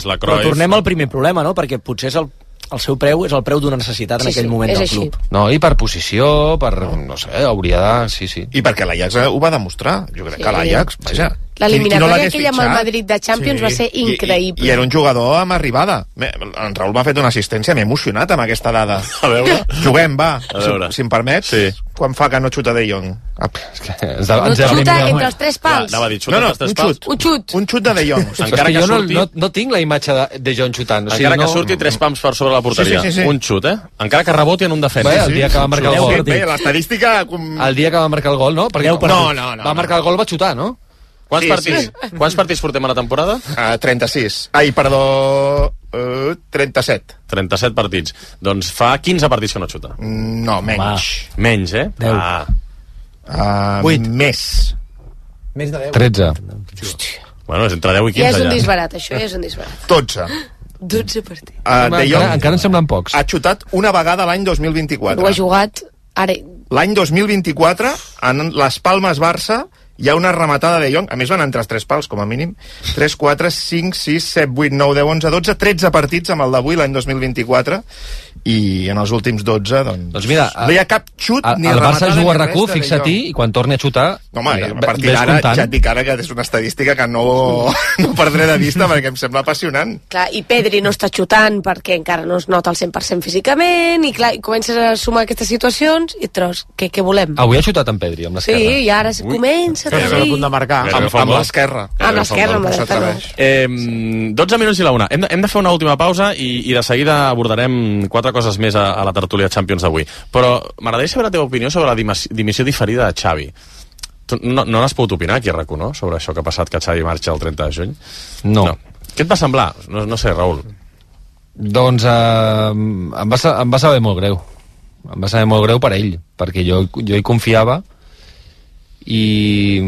és la Cruyff. Però tornem al primer problema, no? Perquè potser és el seu preu és el preu d'una necessitat en aquell moment del club. No, i per posició, no sé, hauria de... Sí. I perquè l'Ajax ho va demostrar. Jo crec que l'Ajax, vaja... L'eliminatòria aquella amb el Madrid de Champions va ser increïble. I era un jugador amb arribada. En Raül m'ha fet una assistència, m'he emocionat amb aquesta dada. A veure. Juguem, va, si em permets. Quan fa que no xuta De Jong? No xuta entre els 3 pals. Un xut de De Jong. Encara que surti... No tinc la imatge de De Jong xutant. Encara que surti 3 pams per sobre la porteria. Un xut, Encara que reboti en un defensa. El dia que va marcar el gol. L'estadística... El dia que va marcar el gol, no? No. Va marcar el gol, va xutar, no? Quants partits portem a la temporada? 36. Ai, perdó... 37. 37 partits. Doncs fa 15 partits que no xuta. No, menys. Menys, 10. 8. Més de 10. 13. Bueno, és entre 10 i 15 ja és un disbarat, això ja és un disbarat. 12. 12 partits. De Jong encara en semblen pocs. ha xutat una vegada l'any 2024. Ho ha jugat ara... L'any 2024, en les Palmes Barça, hi ha una rematada de Jong, a més van entrar els 3 pals, com a mínim, 3, 4, 5, 6, 7, 8, 9, 10, 11, 12, 13 partits amb el d'avui, l'any 2024, i en els últims 12, doncs mira, no hi ha cap xut ni el rematada. El Barça juga a RAC1, fixa-t'hi, i quan torni a xutar... Home, a partir d'ara ja et dic ara que és una estadística que no perdré de vista perquè em sembla apassionant. Clar, i Pedri no està xutant perquè encara no es nota al 100% físicament, i clar, i comences a sumar aquestes situacions i tros, què volem? Avui ha xutat en Pedri, amb l'esquerra. Sí, i ara comença a a punt de marcar. Amb l'esquerra. Amb l'esquerra, amb la dreta no. 12 minuts i la una. Hem de fer una última pausa i de seguida abordarem 4 coses més a la tertúlia Champions d'avui. Però m'agradaria saber la teva opinió sobre la dimissió diferida de Xavi. Tu no n'has pogut opinar aquí a RAC1, no? Sobre això que ha passat, que Xavi marxa el 30 de juny? No. Què et va semblar? No sé, Raül. Doncs em va saber molt greu. Em va saber molt greu per ell, perquè jo hi confiava i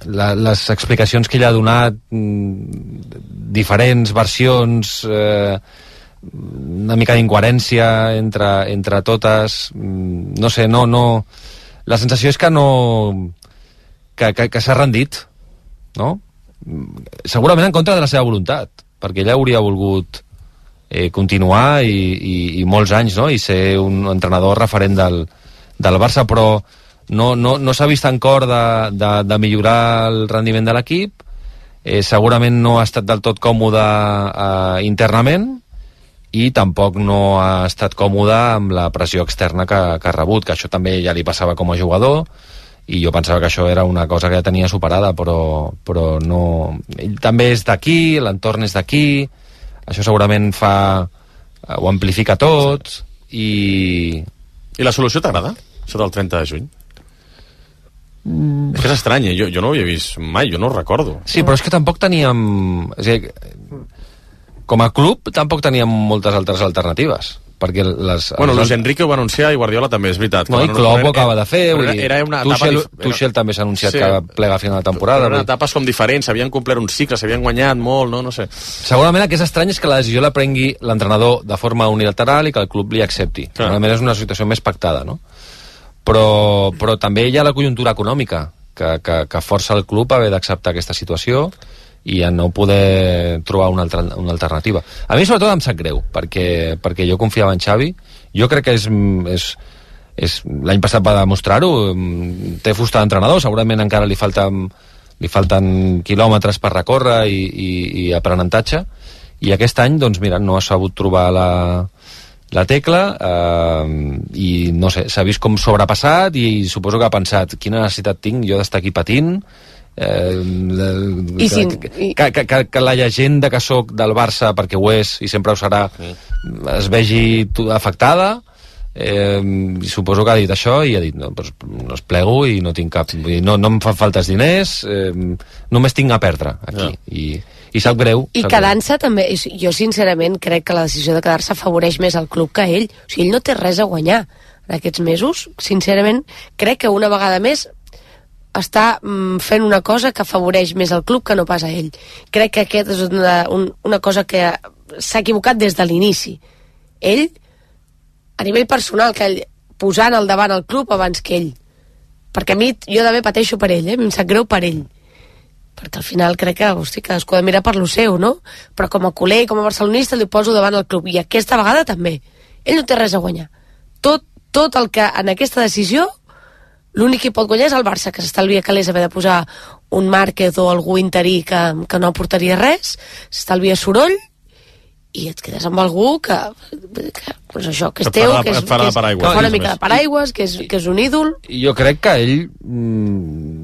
les explicacions que ell ha donat, diferents versions, una mica d'incoherència entre totes, no sé, no la sensació és que que s'ha rendit, no? Segurament en contra de la seva voluntat, perquè ell hauria volgut continuar i molts anys, no? I ser un entrenador referent del Barça, però no s'ha vist en cor de millorar el rendiment de l'equip, segurament no ha estat del tot còmode internament, i tampoc no ha estat còmode amb la pressió externa que ha rebut, que això també ja li passava com a jugador, i jo pensava que això era una cosa que ja tenia superada, però no... Ell també és d'aquí, l'entorn és d'aquí, això segurament ho amplifica tot, I la solució t'agrada? Això del 30 de juny? És que és estrany, jo no ho havia vist mai, jo no ho recordo. Sí, però és que tampoc teníem... És a dir, com a club tampoc teníem moltes altres alternatives, perquè Luis Enrique ho va anunciar i Guardiola també, és veritat. No, i Klopp ho acaba de fer, Tuchel també s'ha anunciat que plega a final de temporada. Eren etapes com diferents, s'havien complert un cicle, s'havien guanyat molt, no sé. Segurament el que és estrany és que la decisió la prengui l'entrenador de forma unilateral i que el club li accepti. Segurament és una situació més pactada, no? Però també hi ha la conjuntura econòmica que força el club a haver d'acceptar aquesta situació i a no poder trobar una alternativa. A mi sobretot em sap greu, perquè jo confiava en Xavi. Jo crec que l'any passat va demostrar-ho, té fusta d'entrenador, segurament encara li falten quilòmetres per recórrer i aprenentatge, i aquest any, doncs mira, no ha sabut trobar la tecla, i no sé, s'ha vist com sobrepassat, i suposo que ha pensat, quina necessitat tinc jo d'estar aquí patint, que la llegenda que sóc del Barça, perquè ho és i sempre ho serà, es vegi afectada, i suposo que ha dit això i ha dit, no es plego i no tinc cap, no em fan falta els diners, només tinc a perdre aquí, i sap greu. I quedant-se també, jo sincerament crec que la decisió de quedar-se afavoreix més al club que ell. O sigui, ell no té res a guanyar en aquests mesos. Sincerament crec que una vegada més està fent una cosa que afavoreix més el club que no pas a ell. Crec que aquest és una cosa que s'ha equivocat des de l'inici. Ell, a nivell personal, que ell posant al davant el club abans que ell. Perquè a mi, jo també pateixo per ell, em sap greu per ell. Perquè al final crec que, hosti, cadascú ha de mirar per lo seu, no? Però com a culer i com a barcelonista li poso davant el club. I aquesta vegada també. Ell no té res a guanyar. Tot el que en aquesta decisió l'únic que pot guanyar és el Barça, que s'estalvia calés haver de posar un Márquez o algú interí que no aportaria res, s'estalvia soroll, i et quedes amb algú que doncs això, que és teu, que fa una mica de paraigües, que és un ídol. Jo crec que ell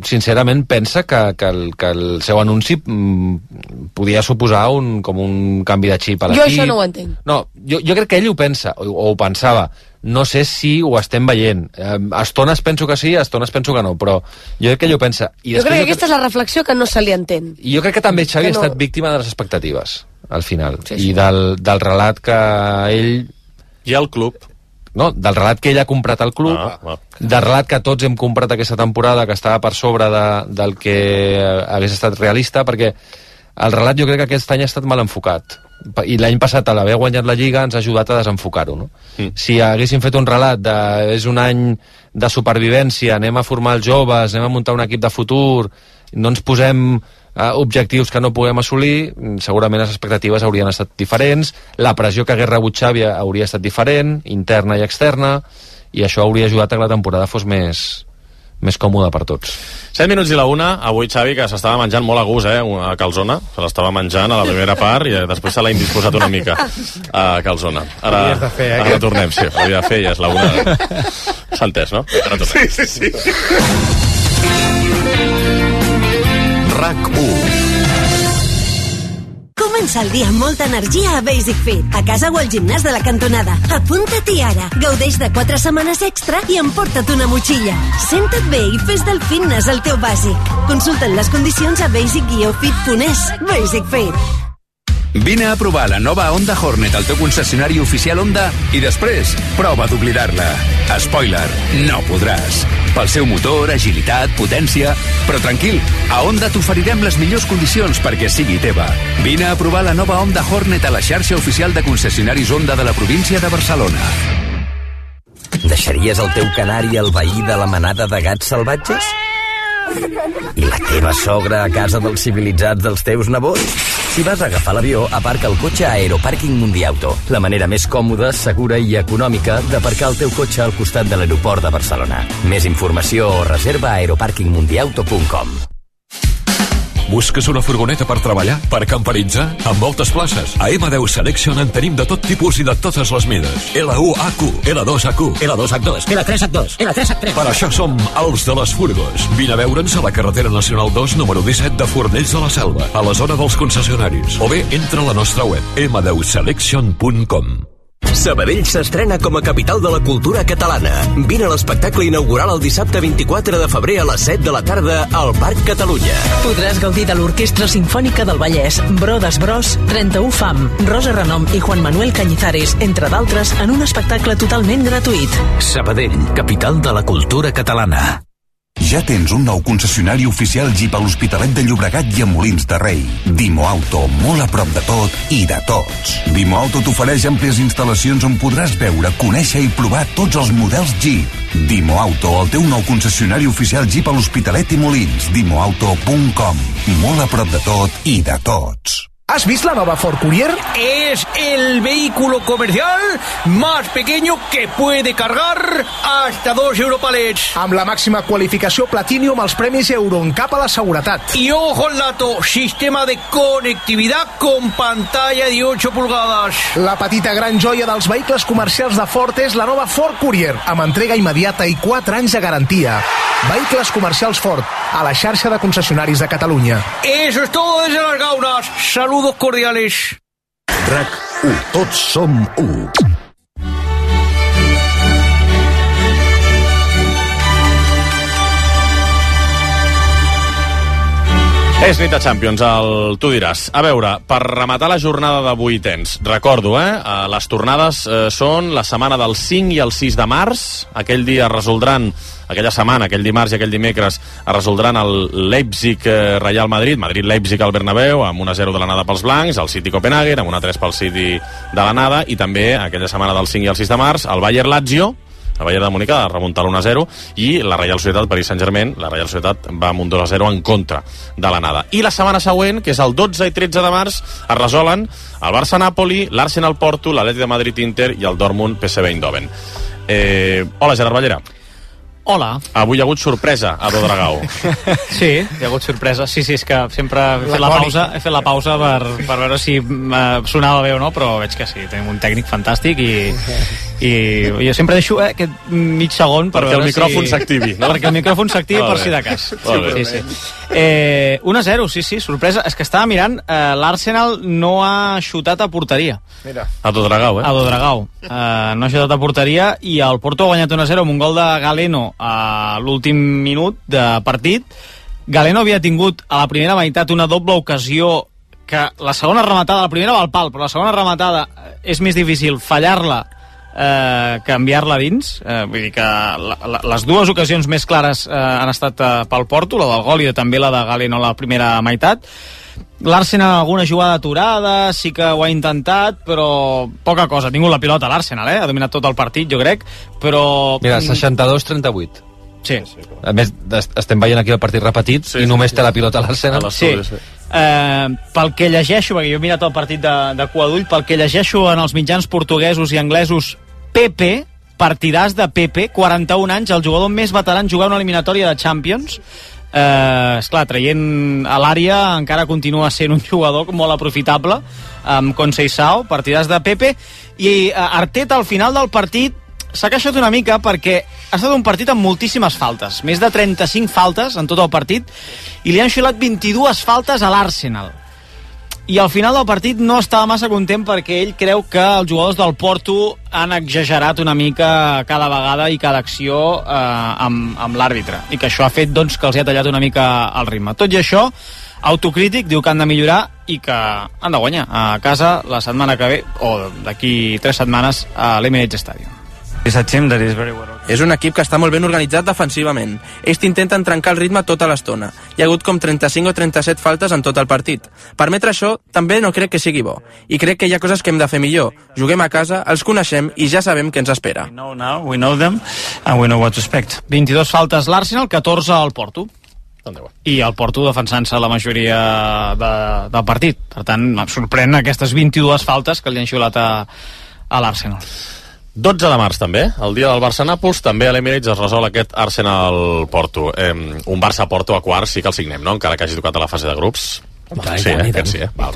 sincerament pensa que el seu anunci podia suposar com un canvi de xip a l'equip. Jo això no ho entenc. No, jo crec que ell ho pensa, o ho pensava. No sé si ho estem veient. A estones penso que sí, a estones penso que no, però jo crec que ell ho pensa. Jo crec que aquesta és la reflexió que no se li entén. I jo crec que també Xavi ha estat víctima de les expectatives, al final, i del relat que ell... I el club. No, del relat que ell ha comprat al club, del relat que tots hem comprat aquesta temporada, que estava per sobre del que hagués estat realista, perquè el relat jo crec que aquest any ha estat mal enfocat. I l'any passat, a l'haver guanyat la Lliga, ens ha ajudat a desenfocar-ho, no? Si haguéssim fet un relat és un any de supervivència, anem a formar els joves, anem a muntar un equip de futur, no ens posem objectius que no puguem assolir, segurament les expectatives haurien estat diferents, la pressió que hagués rebut Xavi hauria estat diferent, interna i externa, i això hauria ajudat a que la temporada fos més còmoda per tots. 7 minuts i la 1, avui Xavi, que s'estava menjant molt a gust, a calzona, se l'estava menjant a la primera part i després se l'ha indisposat una mica a calzona. Ara tornem, sí, havia de fer, ja és la 1. S'ha entès, no? Ara tornem. Sí. RAC1. Comença el dia amb molta energia a Basic Fit, a casa o al gimnàs de la cantonada. Apunta-t'hi ara, gaudeix de 4 setmanes extra i emporta't una motxilla. Senta't bé i fes del fitness el teu bàsic. Consulta't les condicions a basic-fit.es. Basic Fit. Vine a provar la nova Honda Hornet al teu concessionari oficial Honda i després prova d'oblidar-la. Spoiler, no podràs. Pel seu motor, agilitat, potència... Però tranquil, a Honda t'oferirem les millors condicions perquè sigui teva. Vine a provar la nova Honda Hornet a la xarxa oficial de concessionaris Honda de la província de Barcelona. Deixaries el teu canari al veí de la manada de gats salvatges? I la teva sogra a casa dels civilitzats dels teus nebots? Si vas a agafar l'avió, aparca el cotxe a Aeropàrquing Mundiauto, la manera més còmoda, segura i econòmica d'aparcar el teu cotxe al costat de l'aeroport de Barcelona. Més informació o reserva a aeroparkingmundiauto.com. Busques una furgoneta per treballar? Per camperitzar? Amb moltes places. A M10 Selection en tenim de tot tipus i de totes les mides. L1HQ, L2HQ, L2H2, L3H2, L3H3. Per això som els de les furgos. Vine a veure'ns a la carretera nacional 2, número 17 de Fornells de la Selva, a la zona dels concessionaris. O bé, entra a la nostra web, m10selection.com. Sabadell s'estrena com a capital de la cultura catalana. Vine a l'espectacle inaugural el dissabte 24 de febrer a les 7 de la tarda al Parc Catalunya. Podràs gaudir de l'Orquestra Simfònica del Vallès, Brodes Bros, 31 Fam, Rosa Renom i Juan Manuel Cañizares, entre d'altres, en un espectacle totalment gratuït. Sabadell, capital de la cultura catalana. Ja tens un nou concessionari oficial Jeep a l'Hospitalet de Llobregat i a Molins de Rei. Dimo Auto, molt a prop de tot i de tots. Dimo Auto t'ofereix àmplies instal·lacions on podràs veure, conèixer i provar tots els models Jeep. Dimo Auto, el teu nou concessionari oficial Jeep a l'Hospitalet i Molins. Dimoauto.com. Molt a prop de tot i de tots. ¿Has visto la nueva Ford Courier? Es el vehículo comercial más pequeño que puede cargar hasta 2 Europalets. Amb la màxima qualificació Platinum als premis EuroNCAP a la seguretat. Y ojo al dato, sistema de conectividad con pantalla de 8 pulgadas. La petita gran joia dels vehicles comercials de Ford és la nova Ford Courier, amb entrega immediata i 4 anys de garantia. Vehicles comercials Ford, a la xarxa de concessionaris de Catalunya. Eso es todo desde Las Gaunas. Saludos cordiales. RAC1, tots som 1. És nit de Champions, tu diràs. A veure, per rematar la jornada de vuitens, recordo, les tornades són la setmana del 5 i el 6 de març. Aquell dia resoldran, aquella setmana, aquell dimarts i aquell dimecres, es resoldran el Leipzig-Real Madrid, Madrid-Leipzig al Bernabéu, amb 1-0 de l'anada pels blancs, el City-Copenhagen, amb 1-3 pel City de l'anada, i també aquella setmana del 5 i el 6 de març, el Bayern-Lazio, el Bayern de Múnich ha de remuntar l'1-0, i la Real Societat Paris Saint-Germain, la Real Societat va amb un 2-0 en contra de l'anada. I la setmana següent, que és el 12 i 13 de març, es resolen el Barça-Napoli, l'Arsenal-Porto, l'Atlètic de Madrid-Inter i el Dortmund-PSV Eindhoven. Hola, Gerard Ballera. Hola. Avui hi ha hagut sorpresa a Dodragao. Sí, hi ha hagut sorpresa. Sí, és que sempre he fet la pausa per veure si sonava bé o no, però veig que sí, tenim un tècnic fantàstic i jo sempre deixo aquest mig segon per perquè veure el micròfon s'activi, no? Perquè el micròfon s'activi per si de cas. Sí. 1-0, sí, sorpresa. És que estava mirant, l'Arsenal no ha xutat a porteria. Mira. A Dodragao, A Dodragao. No ha xutat a porteria i el Porto ha guanyat 1-0 amb un gol de Galeno a l'últim minut de partit. Galeno havia tingut a la primera meitat una doble ocasió que la segona rematada, la primera va al pal, però la segona rematada és més difícil fallar-la que enviar-la dins. Vull dir que les dues ocasions més clares han estat pel Porto, la del gol i també la de Galeno a la primera meitat. L'Arsenal alguna jugada aturada, sí que ho ha intentat, però poca cosa. Ha tingut la pilota l'Arsenal, ha dominat tot el partit, jo crec, però... Mira, 62-38. Sí. A més, estem veient aquí el partit repetit i només té la pilota l'Arsenal. Sí. Pel que llegeixo, perquè jo he mirat el partit de cua d'ull, pel que llegeixo en els mitjans portuguesos i anglesos, Pepe, partidàs de Pepe, 41 anys, el jugador més veterà en jugar una eliminatòria de Champions. Esclar, traient a l'àrea encara continua sent un jugador molt aprofitable amb Conceição, partidàs de Pepe, i Arteta al final del partit s'ha queixat una mica perquè ha estat un partit amb moltíssimes faltes, més de 35 faltes en tot el partit, i li han xiulat 22 faltes a l'Arsenal. I al final del partit no estava massa content perquè ell creu que els jugadors del Porto han exagerat una mica cada vegada i cada acció amb l'àrbitre, i que això ha fet doncs, que els ha tallat una mica el ritme. Tot i això, autocrític, diu que han de millorar i que han de guanyar a casa la setmana que ve, o d'aquí 3 setmanes, a l'Emirates Stadium. És un equip que està molt ben organitzat defensivament. Ells intenten trencar el ritme tota l'estona. Hi ha hagut com 35 o 37 faltes en tot el partit. Permetre això també no crec que sigui bo. I crec que hi ha coses que hem de fer millor. Juguem a casa, els coneixem i ja sabem què ens espera. 22 faltes l'Arsenal, 14 al Porto. I el Porto defensant-se la majoria del partit. Per tant, em sorprèn aquestes 22 faltes que li han xiulat a l'Arsenal. 12 de març també, el dia del Barça-Nàpols, també a l'Emirates es resol aquest Arsenal-Porto. Un Barça-Porto a quarts sí que el signem, no? Encara que hagi tocat a la fase de grups. Sí, aquest sí, Val.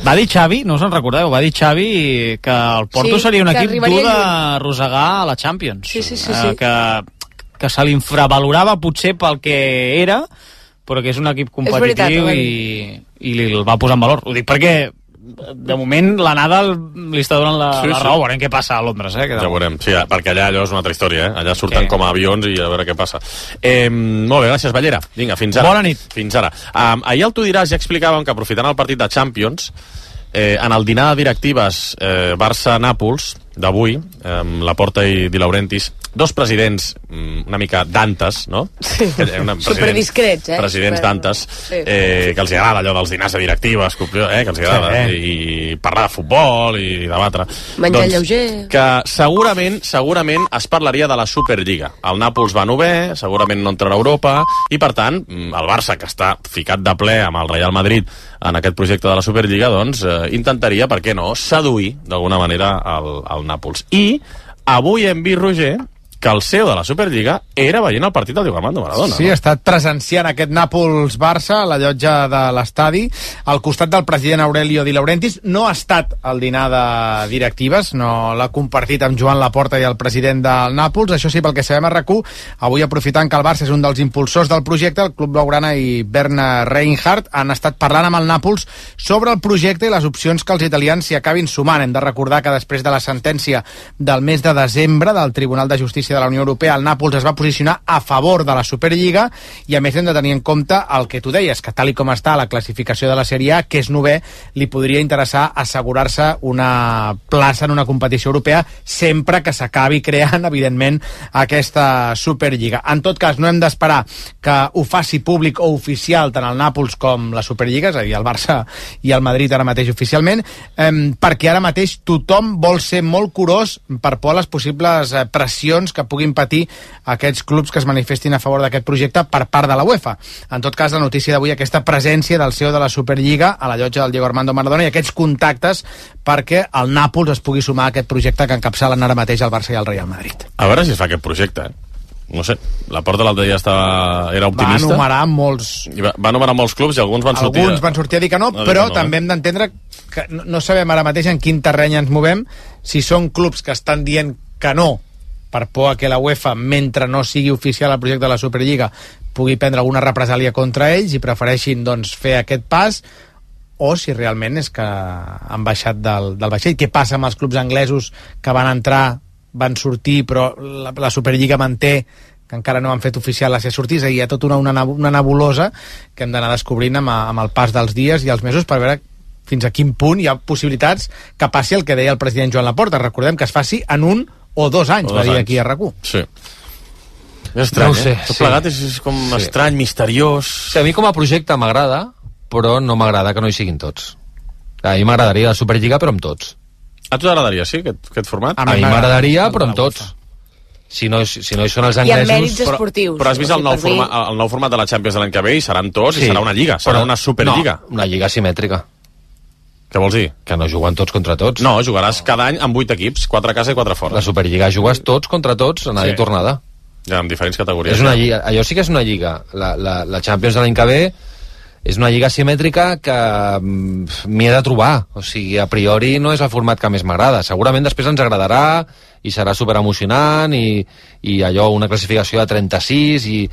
Va dir Xavi, no us en recordeu, va dir Xavi que el Porto seria un equip dur de rosegar a la Champions. Sí. Que se l'infravalorava potser pel que era, però que és un equip competitiu i el va posar en valor. Ho dic perquè de moment l'anada li està donant la raó. Veurem què passa a Londres, Ja veurem, sí, perquè allà allò és una altra història, allà surten com a avions i a veure què passa. Molt bé, gràcies, Ballera. Vinga, fins ara. Bona nit. Fins ara. Ahir al Tu diràs ja explicàvem que aprofitant el partit de Champions, en el dinar de directives Barça-Nàpols d'avui, Laporta i Di Laurentiis, dos presidents una mica dantes, no? Sí, superdiscrets, presidents dantes, que els agrada allò dels dinars de directives, que els agrada, i parlar de futbol i debatre. Menjar lleuger. Que segurament es parlaria de la Superliga. El Nàpols va bé, segurament no entrarà a Europa, i per tant, el Barça, que està ficat de ple amb el Real Madrid en aquest projecte de la Superliga, doncs intentaria, per què no, seduir d'alguna manera el Nàpols. I avui hem vist, Roger, que el CEO de la Superliga era veient el partit del Diego Armando Maradona. Sí, ha estat presenciant aquest Nàpols-Barça a la llotja de l'estadi, al costat del president Aurelio Di Laurentiis. No ha estat al dinar de directives, no l'ha compartit amb Joan Laporta i el president del Nàpols. Això sí, pel que sabem a RAC1, avui aprofitant que el Barça és un dels impulsors del projecte, el Club Blaugrana i Bernd Reinhardt han estat parlant amb el Nàpols sobre el projecte i les opcions que els italians s'hi acabin sumant. Hem de recordar que després de la sentència del mes de desembre del Tribunal de Justícia de la Unió Europea, el Nàpols es va posicionar a favor de la Superliga, i a més hem de tenir en compte el que tu deies, que tal i com està la classificació de la Sèrie A, que és novè, li podria interessar assegurar-se una plaça en una competició europea sempre que s'acabi creant, evidentment, aquesta Superliga. En tot cas, no hem d'esperar que ho faci públic o oficial tant el Nàpols com la Superliga, és a dir, el Barça i el Madrid ara mateix oficialment, perquè ara mateix tothom vol ser molt curós per por a les possibles pressions que puguin patir aquests clubs que es manifestin a favor d'aquest projecte per part de la UEFA. En tot cas, la notícia d'avui, aquesta presència del CEO de la Superliga a la llotja del Diego Armando Maradona i aquests contactes perquè el Nàpols es pugui sumar a aquest projecte que encapçalen ara mateix el Barça i el Real Madrid. A veure si es fa aquest projecte, No sé, la Porta l'altre dia era optimista. Va enumerar molts clubs i alguns van sortir... Alguns van sortir a dir que no, però també hem d'entendre que no sabem ara mateix en quin terreny ens movem, si són clubs que estan dient que no per por a que la UEFA, mentre no sigui oficial el projecte de la Superliga, pugui prendre alguna represàlia contra ells i prefereixin fer aquest pas, o si realment és que han baixat del vaixell. Què passa amb els clubs anglesos que van entrar, van sortir, però la Superliga manté que encara no han fet oficial la seva sortida, i hi ha tota una nebulosa que hem d'anar descobrint amb el pas dels dies i els mesos per veure fins a quin punt hi ha possibilitats que passi el que deia el president Joan Laporta. Recordem que es faci en 1 o 2 anys, va dir aquí a RAC1. Sí. És estrany, no sé, Tot plegat és com estrany, misteriós... Sí, a mi com a projecte m'agrada, però no m'agrada que no hi siguin tots. A mi m'agradaria la Superliga, però amb tots. A tu t'agradaria, sí, aquest format? A mi m'agradaria, però amb tots. Si no hi són els anglesos... I amb mèrits esportius. Però has vist el nou format de la Champions de l'any que ve i seran tots, i serà una lliga, serà una Superliga. No, una lliga simètrica. Què vols dir? Que no juguen tots contra tots. No, jugaràs cada any amb 8 equips, 4 a casa i 4 fora. La Superliga jugues tots contra tots, anada i tornada. Ja, amb diferents categories. És una lliga, allò sí que és una lliga. La Champions de l'any que ve és una lliga simètrica que m'hi he de trobar. O sigui, a priori no és el format que més m'agrada. Segurament després ens agradarà i serà superemocionant i allò, una classificació de 36 i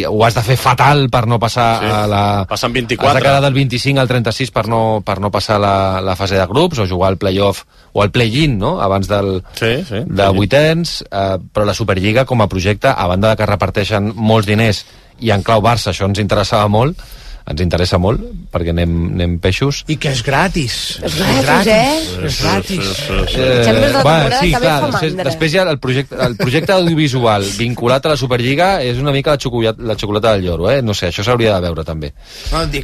ho has de fer fatal per no passar a la... Passant 24. Has de quedar del 25 al 36 per no passar la fase de grups o jugar al play-off o al play-in, no? Abans de vuitens, però la Superliga com a projecte, a banda de que reparteixen molts diners i en clau Barça, això ens interessa molt perquè anem peixos i que és gratis. És gratis. Sí, clar, després ja el projecte audiovisual vinculat a la Superliga és una mica la xocolata del lloro, no sé, això s'hauria de veure també.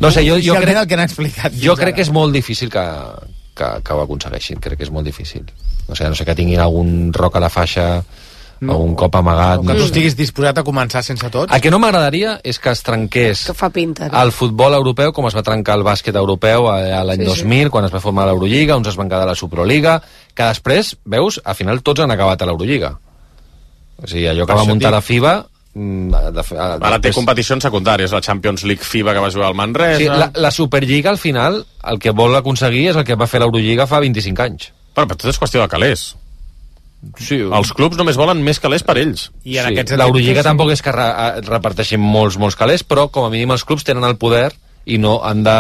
No sé, jo crec el que n'ha explicat. Jo crec que és molt difícil que ho aconsegueixin, crec que és molt difícil. No sé que tinguin algun roc a la faixa o un cop amagat. Que tu estiguis disposat a començar sense tots. El que no m'agradaria és que es trenqués el futbol europeu com es va trencar el bàsquet europeu l'any 2000, quan es va formar l'Eurolliga, uns es van quedar a la Superliga, que després, veus, al final tots han acabat a l'Eurolliga. O sigui, allò que va muntar la FIBA... Ara té competicions secundàries, la Champions League FIBA que va jugar al Manresa... Sí, la Superliga, al final, el que vol aconseguir és el que va fer l'Eurolliga fa 25 anys. Però tot és qüestió de calés. Sí. Els clubs només volen més calés per ells. I en l'Eurolliga tampoc és que reparteixin molts calés, però com a mínim els clubs tenen el poder i no han de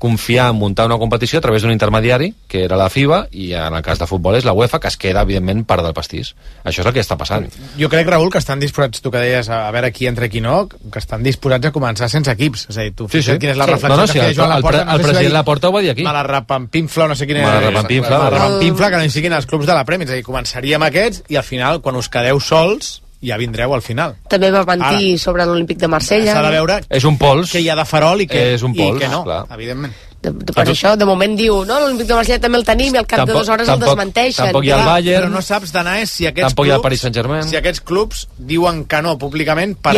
confiar en muntar una competició a través d'un intermediari, que era la FIBA, i en el cas de futbol és la UEFA, que es queda, evidentment, part del pastís. Això és el que està passant. Jo crec, Raül, que estan disposats, tu que deies, a veure qui entra i qui no, que estan disposats a començar sense equips. És a dir, tu fixa't quina és la reflexió que feia Joan Laporta. El president Laporta ho va dir aquí. Malapampinfla, no sé quin és. Malapampinfla, que no hi siguin els clubs de la Premier. És a dir, començaríem aquests i al final, quan us quedeu sols, ja vindreu al final. També va mentir sobre l'Olímpic de Marsella. S'ha de veure és un pols, que hi ha de farol i que, és un pols, i que no, clar. Evidentment. Per això, de moment diu, no, l'Olímpic de Marsella també el tenim i al cap de 2 hores el desmenteixen. Tampoc hi ha el Bayern. Però no saps d'anar si aquests tampoc hi ha el Paris Saint-Germain. Si aquests clubs diuen que no públicament per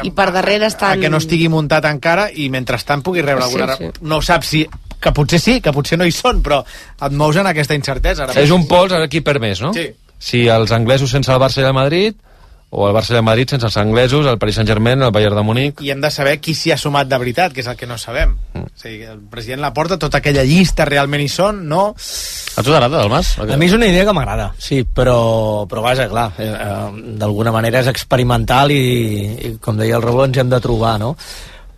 i per darrere estan... que no estigui muntat encara i mentrestant pugui rebre alguna... No saps si... Que potser sí, que potser no hi són, però et mous en aquesta incertesa. És un pols, ara qui perd més, no? Sí. Si els anglesos sense el Barça i el Madrid, o el Barça i el Madrid sense els anglesos, el Paris Saint-Germain, el Bayern de Múnich... I hem de saber qui s'hi ha sumat de veritat, que és el que no sabem. O sigui, el president Laporta, tota aquella llista realment hi són, no... A tu t'agrada, Dalmas? A mi és una idea que m'agrada, sí, però vaja, clar, d'alguna manera és experimental i com deia el Raül, ens hem de trobar, no?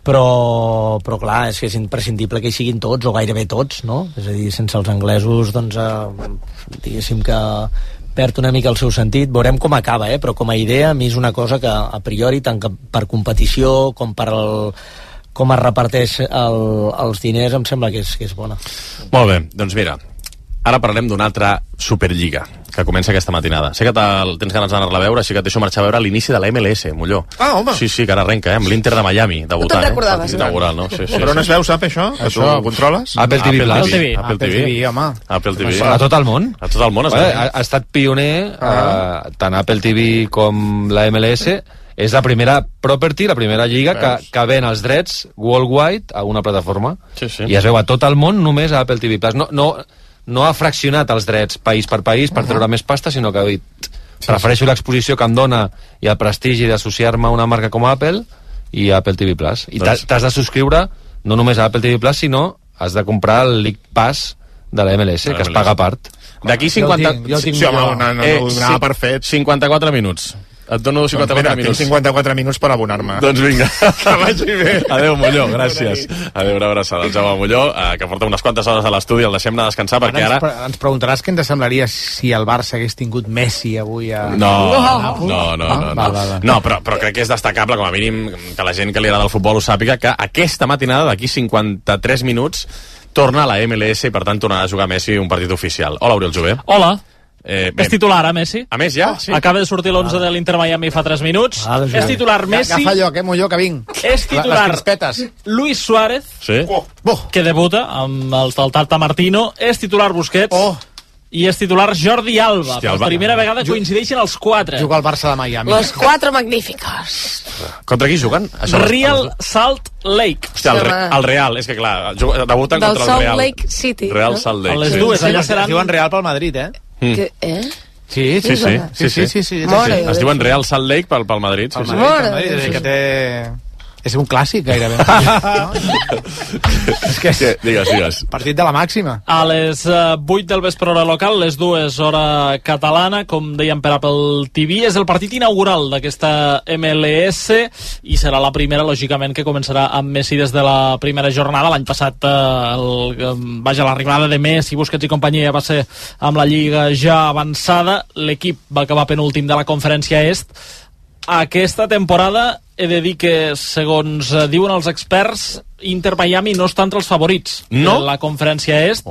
Però clar, és que és imprescindible que hi siguin tots, o gairebé tots, no? És a dir, sense els anglesos, doncs, diguéssim que perd una mica el seu sentit. Veurem com acaba, però com a idea a mi és una cosa que a priori, tant per competició com per com es reparteix els diners, em sembla que és bona. Molt bé, doncs mira, ara parlem d'una altra Superliga que comença aquesta matinada. Sé que tens ganes d'anar-la a veure, així que et deixo marxar a veure l'inici de la MLS, Molló. Ah, home! Sí, que ara arrenca, amb l'Inter de Miami, debutant. No te'n recordaves, inaugural, no? Sí, però on es veu, sap, això? Que tu ho controles? Apple TV Plus. Apple TV, home. Apple TV. A tot el món. A tot el món. Ha estat pioner, tant Apple TV com la MLS, és la primera property, la primera lliga que ven els drets worldwide a una plataforma. I es veu a tot el món només a Apple TV Plus. No ha fraccionat els drets país per país per treure més pasta, sinó que ha dit prefereixo l'exposició que em dona i el prestigi d'associar-me a una marca com Apple i Apple TV Plus. I t'has de subscriure no només a Apple TV Plus, sinó has de comprar el League Pass de la MLS, que es paga a part. D'aquí 50... Jo el tinc no per fet. 54 minuts. Et dono 54 minuts. Tinc 54 minuts per abonar-me. Doncs vinga, que vagi bé. Adéu, Molló, gràcies. Adéu, una abraçada. El Jaume Molló, que porta unes quantes hores a l'estudi, el deixem anar a descansar, perquè ara... Ens preguntaràs què ens semblaria si el Barça hagués tingut Messi avui a... No, però crec que és destacable, com a mínim, que la gent que li agrada el futbol ho sàpiga, que aquesta matinada, d'aquí 53 minuts, torna a la MLS i, per tant, tornarà a jugar Messi un partit oficial. Hola, Oriol Jové. Hola. És titular, Messi? A més, ja? Sí. Acaba de sortir l'11 de l'Inter Miami fa 3 minuts. És titular Messi. Agafa allò, Molló, que vinc. És titular Luis Suárez, que debuta amb el Tata Martino. És titular Busquets. I és titular Jordi Alba. Per primera vegada coincideixen els 4. Juga al Barça de Miami. Los 4 magníficos. Contra qui juguen? Real Salt Lake. Hòstia, el Real, és que clar, debuten contra el Real. Del Salt Lake City. Real Salt Lake. A les dues, allà seran... Es diuen Real pel Madrid, Sí. Sí. Es diuen Real Salt Lake pel Madrid. Pel Madrid, que té... És un clàssic, gairebé. És que digues. Partit de la màxima. A les 8 del vespre hora local, les 2 hora catalana, com dèiem per Apple TV, és el partit inaugural d'aquesta MLS i serà la primera, lògicament, que començarà amb Messi des de la primera jornada. L'any passat, l'arribada de Messi, Busquets i companyia va ser amb la Lliga ja avançada. L'equip va acabar penúltim de la Conferència Est. Aquesta temporada he de dir que, segons diuen els experts, Inter Miami no està entre els favorits de la Conferència Est.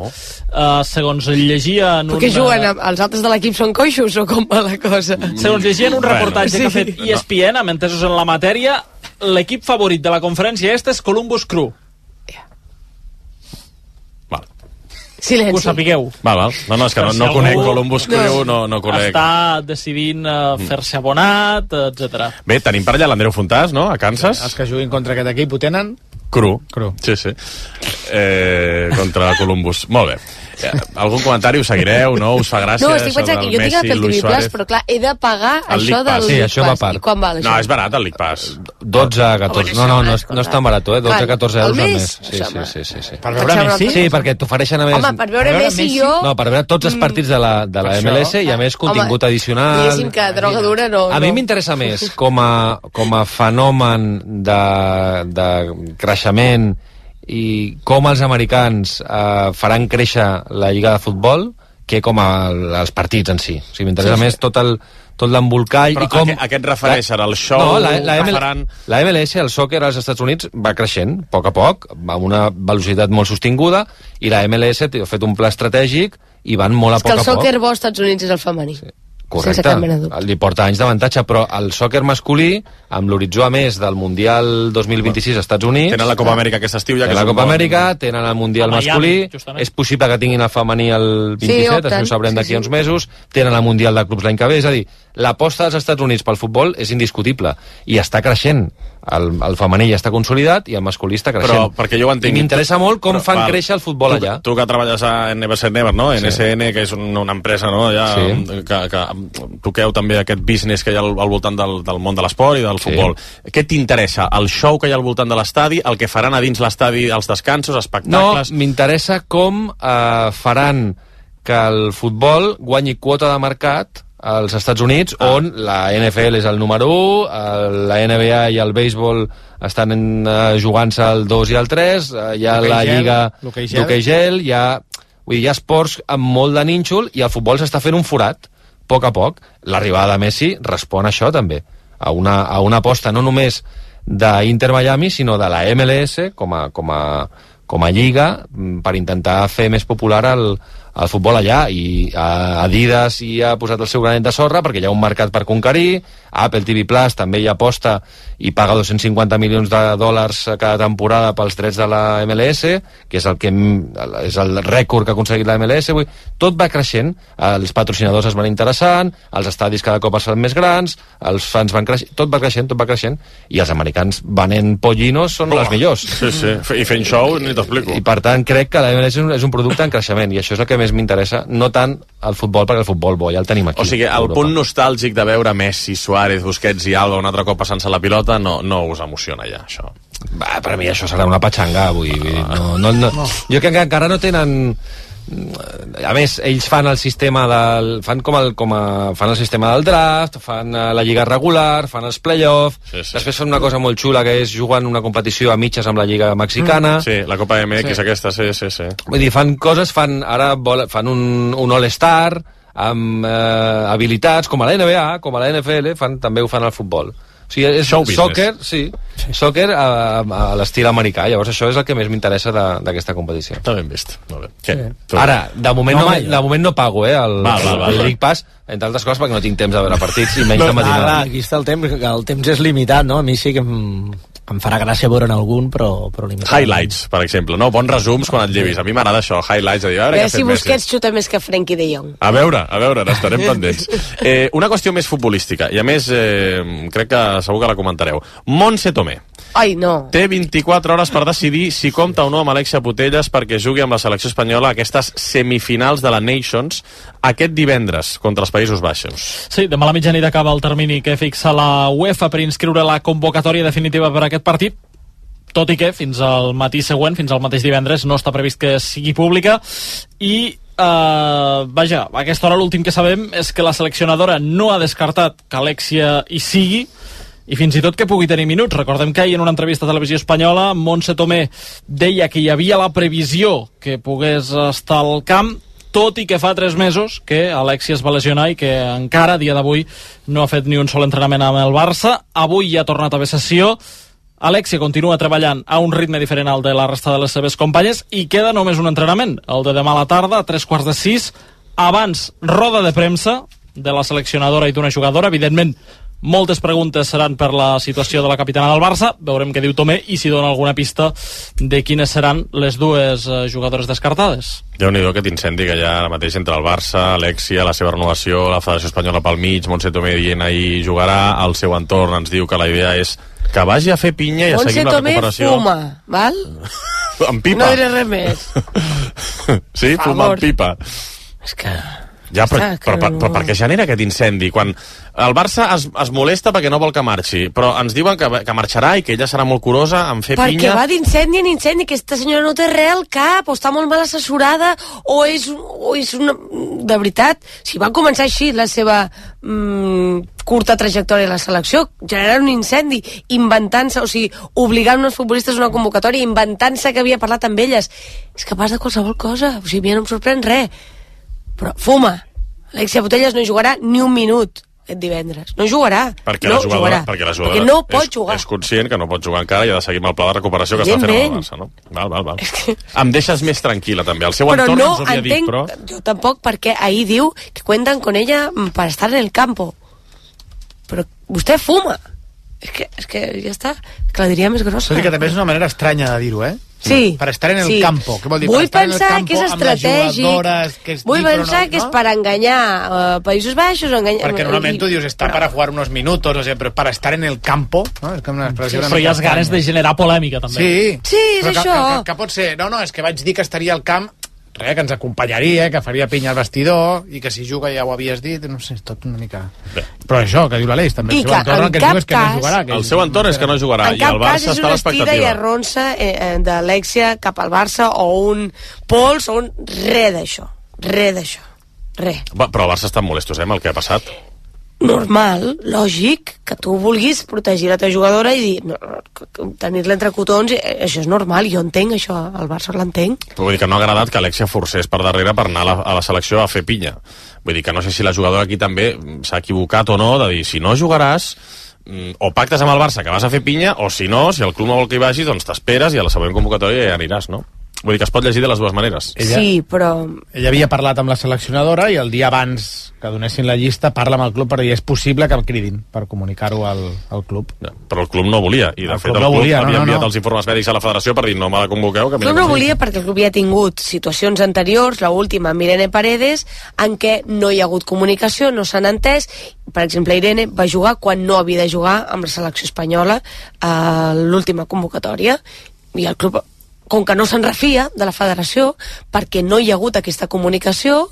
Segons llegia... Perquè juguen, els altres de l'equip són coixos o com va la cosa? Segons llegia en un reportatge que ha fet ESPN, amb entesos en la matèria, l'equip favorit de la Conferència Est és Columbus Crew. Silenci. Que ho sapigueu. Val. No, és que no conec Columbus Crew, no conec. Està decidint fer-se abonat, etc. Bé, tenim per allà l'Andreu Fontàs, no?, a Kansas. Els que juguin contra aquest equip ho tenen? Cru. Sí. Contra Columbus. Molt bé. Algun comentari, us seguireu, no? Us fa gràcia? No, estic pensant que jo tinc el TV Plus, però clar, he de pagar això del League Pass. I quan val això? No, és barat el League Pass. 12 a 14. No és tan barat, 12 a 14 euros al mes. Sí. Per veure Messi? Sí, perquè t'ofereixen a més... Home, per veure Messi jo... No, per veure tots els partits de la MLS i a més contingut addicional. Diguéssim que droga dura no... A mi m'interessa més com a fenomen de creixement i com els americans faran créixer la lliga de futbol que com els partits en si. O sigui, m'interessa més tot l'embolcall. Però i com... aquest refereix ara al show? No, la MLS, el sòquer als Estats Units, va creixent a poc, amb una velocitat molt sostinguda, i la MLS ha fet un pla estratègic i van molt a poc a poc. És que el sòquer bo als Estats Units és el femení. Sí. Correcte, li porta anys d'avantatge, però el sòquer masculí, amb l'horitzó a més del Mundial 2026 als Estats Units... Tenen la Copa Amèrica aquest estiu, ja que la Copa Amèrica, tenen el Mundial masculí, és possible que tinguin el femení el 27, això ho sabrem d'aquí uns mesos, tenen el Mundial de Clubs l'any que ve, és a dir, l'aposta dels Estats Units pel futbol és indiscutible, i està creixent. El femení ja està consolidat i el masculí està creixent. Però perquè jo ho entenc... I m'interessa molt com fan créixer el futbol allà. Tu que treballes a Never Say Never, no? NSN, que és una empresa, no? Que toqueu també aquest business que hi ha al voltant del món de l'esport i del futbol. Què t'interessa? El show que hi ha al voltant de l'estadi, el que faran a dins l'estadi, els descansos, espectacles... No, m'interessa com faran que el futbol guanyi quota de mercat als Estats Units, on la NFL és el número 1, la NBA i el béisbol estan jugant-se el 2 i el 3, hi ha la lliga d'hoquei gel, hi ha esports amb molt de nínxol i el futbol s'està fent un forat, a poc. L'arribada de Messi respon a això també, a una aposta no només d'Inter Miami, sinó de la MLS com a lliga per intentar fer més popular el futbol allà, i Adidas hi ha posat el seu granet de sorra perquè hi ha un mercat per conquerir. Apple TV Plus també hi aposta i paga 250 milions de dòlars cada temporada pels drets de la MLS, que és el rècord que ha aconseguit la MLS. Tot va creixent, els patrocinadors es van interessant, els estadis cada cop es fan més grans, els fans van creixent, tot va creixent, i els americans venent pollinos són els millors. Sí, i fent show ni t'explico. I per tant crec que la MLS és un producte en creixement, i això és el que més m'interessa, no tant el futbol, perquè el futbol bo ja el tenim aquí. O sigui, el punt nostàlgic de veure Messi, Suárez, Busquets i Alba un altre cop passant-se la pilota no us emociona ja, això? Per mi això serà una patxanga, no. Jo crec que encara no tenen... A més, ells fan el sistema fan el sistema del draft, fan la lliga regular, fan els play-off, després fan una cosa molt xula que és jugant una competició a mitges amb la lliga mexicana. Sí, la Copa MX aquesta, sí. Vull dir, fan coses, fan un All-Star amb habilitats, com a la NBA, com a la NFL, també ho fan al futbol. O sigui, és soccer a l'estil americà. Llavors això és el que més m'interessa d'aquesta competició. Està ben vist. Molt bé. Sí. Ara, de moment no pago el League Pass, entre altres coses perquè no tinc temps de veure partits i menys de matinada. Aquí està el temps és limitat, no? A mi sí que em farà gràcia veure'n algun, però limitat. Highlights, per exemple, no? Bons resums quan et llevis. A mi m'agrada això, highlights, de dir, a veure què ha fet Messi. Si Busquets xuta més que Frenkie de Jong. A veure, n'estarem pendents. Una qüestió més futbolística, i a més crec que segur que la comentareu. Montse Tomé. Ai, no. Té 24 hores per decidir si compta o no amb Alexia Putellas perquè jugui amb la selecció espanyola a aquestes semifinals de la Nations aquest divendres contra els Països Baixos. Sí, demà a la mitjanit acaba el termini que fixa la UEFA per inscriure la convocatòria definitiva per aquest partit, tot i que fins al matí següent, fins al mateix divendres, no està previst que sigui pública. I a aquesta hora l'últim que sabem és que la seleccionadora no ha descartat que Alexia hi sigui, i fins i tot que pugui tenir minuts. Recordem que ahir en una entrevista a Televisió Espanyola Montse Tomé deia que hi havia la previsió que pogués estar al camp, tot i que fa 3 mesos que Alexia es va lesionar i que encara, a dia d'avui, no ha fet ni un sol entrenament amb el Barça. Avui ja ha tornat a haver sessió. Alexia continua treballant a un ritme diferent al de la resta de les seves companyes i queda només un entrenament, el de demà a la tarda, a 3:45. Abans, roda de premsa de la seleccionadora i d'una jugadora. Evidentment, moltes preguntes seran per la situació de la capitana del Barça. Veurem què diu Tomé i si dona alguna pista de quines seran les dues jugadores descartades. Déu-n'hi-do aquest incendi que hi ha ara mateix entre el Barça, Alexia, la seva renovació, la Federació Espanyola pel mig, Montse Tomé dient ahir jugarà, al seu entorn ens diu que la idea és que vagi a fer pinya i a seguir la recuperació. Montse Tomé fuma, val? Amb pipa? No diré res més. Sí, fuma amb pipa. És que... Ja, però per què genera aquest incendi? Quan el Barça es molesta perquè no vol que marxi, però ens diuen que marxarà i que ella serà molt curosa en fer pinya... Perquè va d'incendi en incendi, aquesta senyora no té res al cap, o està molt mal assessorada, o és una... De veritat, si va començar així la seva curta trajectòria a la selecció, generant un incendi, inventant-se, o sigui, obligant uns futbolistes a una convocatòria, inventant-se que havia parlat amb elles. És capaç de qualsevol cosa, o sigui, a mi no em sorprèn res. Però fuma. Alexia Putellas no jugarà ni un minut aquest divendres. No jugarà. Perquè la jugadora no pot jugar. És conscient que no pot jugar encara i ha de seguir amb el pla de recuperació que està fent el Barça, no? Val. Em deixes més tranquil·la, també. El seu entorn ens ho havia dit, però... Jo tampoc, perquè ahir diu que cuentan con ella para estar en el campo. Però vostè fuma. És que ja està. Que la diria més grossa. Tot i que també és una manera estranya de dir-ho, Sí. Per estar en el campo. Què vol dir? Vull pensar que és estratègic. Vull pensar que és per enganyar Països Baixos. Perquè normalment tu dius, està para jugar unos minutos, o sigui, però per estar en el campo, no? És com una expressió però hi ha ganes de generar polèmica, també. Sí, és això. Que pot ser, no, és que vaig dir que estaria al camp, res, que ens acompanyaria, que faria pinya al vestidor, i que si juga ja ho havies dit, no sé, és tot una mica... Però això, que diu l'Aleix, també. I que en cap cas... El seu entorn és que no jugarà, i el Barça està a l'expectativa. En cap cas és una estira i arronsa d'Alexia cap al Barça, o un pols, o un... Res d'això. Però el Barça està molestos, amb el que ha passat. Normal, lògic, que tu vulguis protegir la teva jugadora i dir, tenir-la entre cotons, això és normal, jo entenc això, el Barça l'entenc. Vull dir que no ha agradat que Alexia forcés per darrere per anar a la selecció a fer pinya. Vull dir que no sé si la jugadora aquí també s'ha equivocat o no, de dir, si no jugaràs, o pactes amb el Barça que vas a fer pinya, o si no, si el club no vol que hi vagis, doncs t'esperes i a la següent convocatòria ja aniràs, no? Vull dir que es pot llegir de les dues maneres. Sí, però... Ella havia parlat amb la seleccionadora i el dia abans que donessin la llista parla amb el club per dir és possible que el cridin per comunicar-ho al club. Però el club no volia, i de fet el club havia enviat els informes mèdics a la federació per dir no me la convoqueu. El club no volia perquè el club ja ha tingut situacions anteriors, l'última amb Irene Paredes, en què no hi ha hagut comunicació, no s'han entès. Per exemple, Irene va jugar quan no havia de jugar amb la selecció espanyola a l'última convocatòria, i el club, com que no se'n refia de la federació, perquè no hi ha hagut aquesta comunicació,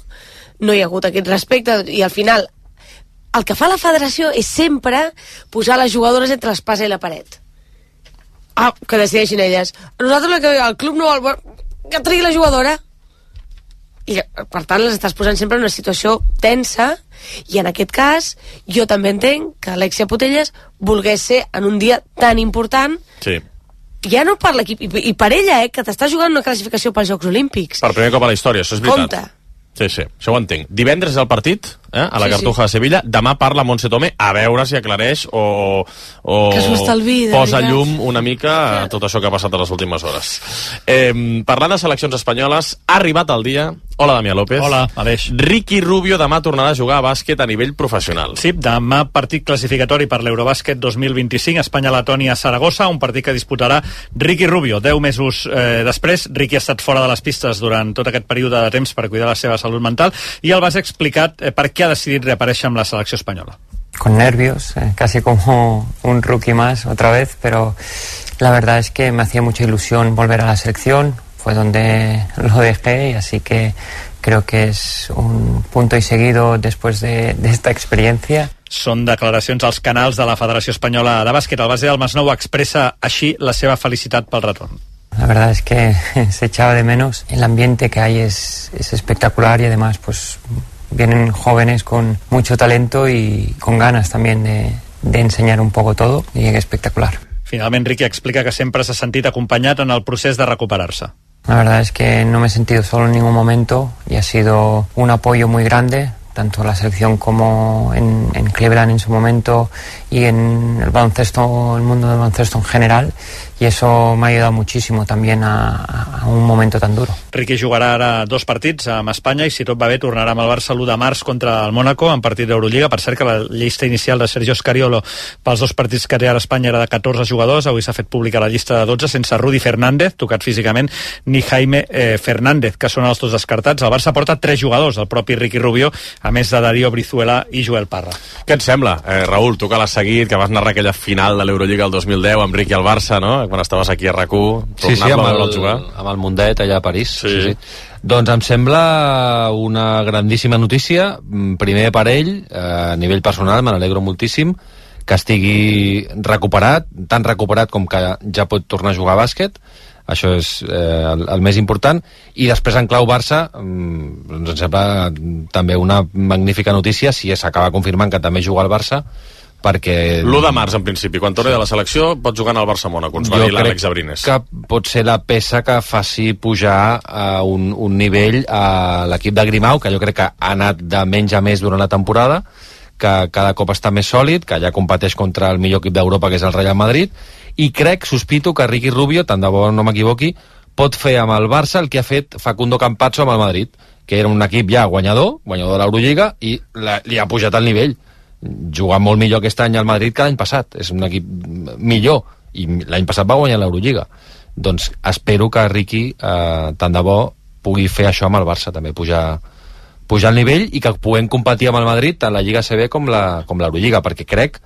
no hi ha hagut aquest respecte, i al final el que fa la federació és sempre posar les jugadores entre l'espasa i la paret. Que decideixin elles. Nosaltres el club no vol... Que tregui la jugadora. I per tant les estàs posant sempre en una situació tensa, i en aquest cas jo també entenc que Alexia Putellas volgués ser en un dia tan important. Sí. Ja no per l'equip, i per ella, que t'està jugant una classificació pels Jocs Olímpics. Per primer cop a la història, això és veritat. Compte. Sí, això ho entenc. Divendres és el partit, a la Cartuja de Sevilla. Demà parla Montse Tomé, a veure si aclareix o posa llum una mica a tot això que ha passat a les últimes hores. Parlant de seleccions espanyoles, ha arribat el dia... Hola, Damià López. Hola, Aleix. Ricky Rubio demà tornarà a jugar a bàsquet a nivell professional. Sí, demà partit classificatori per l'Eurobàsquet 2025, Espanya-Letònia a Saragossa, un partit que disputarà Ricky Rubio. 10 mesos després, Ricky ha estat fora de les pistes durant tot aquest període de temps per cuidar la seva salut mental, i el vas explicat per què ha decidit reaparèixer amb la selecció espanyola. Con nervios, casi como un rookie más otra vez, pero la verdad es que me hacía mucha ilusión volver a la selección, fue donde lo dejé, y así que creo que es un punto y seguido después de esta experiencia. Són declaracions als canals de la Federació Espanyola de Bàsquet. El base del Masnou expressa així la seva felicitat pel retorn. La verdad es que se echaba de menos. El ambiente que hay es espectacular, y además pues vienen jóvenes con mucho talento y con ganas también de enseñar un poco todo, y es espectacular. Finalment, Ricky explica que sempre s'ha sentit acompanyat en el procés de recuperar-se. La verdad es que no me he sentido solo en ningún momento, y ha sido un apoyo muy grande, tanto en la selección como en Cleveland en su momento, y en el baloncesto, el mundo del baloncesto en general, y eso me ha ayudado muchísimo también a un momento tan duro. Ricky jugarà ara 2 partits amb Espanya, i si tot va bé tornarà amb el Barça l'1 de març contra el Mónaco en partit d'Eurolliga. Per cert, que la llista inicial de Sergio Scariolo pels 2 partits que té ara Espanya era de 14 jugadors. Avui s'ha fet pública la llista de 12, sense Rudy Fernández, tocat físicament, ni Jaime Fernández, que són els 2 descartats. El Barça porta 3 jugadors, el propi Ricky Rubio, a més de Darío Brizuela i Joel Parra. Què et sembla, Raül? Tu que l'has seguit, que vas narrar aquella final de l'Eurolliga el 2010, amb Riqui al Barça, no? Quan estaves aquí a RAC1, amb el Mundet allà a París. Sí. Doncs em sembla una grandíssima notícia, primer per ell, a nivell personal, me n'alegro moltíssim, que estigui recuperat, tan recuperat com que ja pot tornar a jugar a bàsquet. Això és el més important. I després en clau Barça ens sembla també una magnífica notícia si s'acaba confirmant que també juga al Barça, perquè... L'1 de març, en principi, quan torni de la selecció pot jugar al Barça-Mónaco, ens va dir l'Àlex Abrines. Jo crec que pot ser la peça que faci pujar a un nivell a l'equip de Grimau, que jo crec que ha anat de menys a més durant la temporada, que cada cop està més sòlid, que ja competeix contra el millor equip d'Europa, que és el Real Madrid, i sospito que Ricky Rubio, tant de bo no m'equivoqui, pot fer amb el Barça el que ha fet Facundo Campazzo amb el Madrid, que era un equip ja guanyador de l'Eurolliga, i li ha pujat el nivell. Juga molt millor aquest any al Madrid que l'any passat. És un equip millor, i l'any passat va guanyar l'Eurolliga. Doncs espero que Ricky, tant de bo, pugui fer això amb el Barça, també pujar el nivell, i que puguem competir amb el Madrid tant la Lliga CB com l'Eurolliga, perquè crec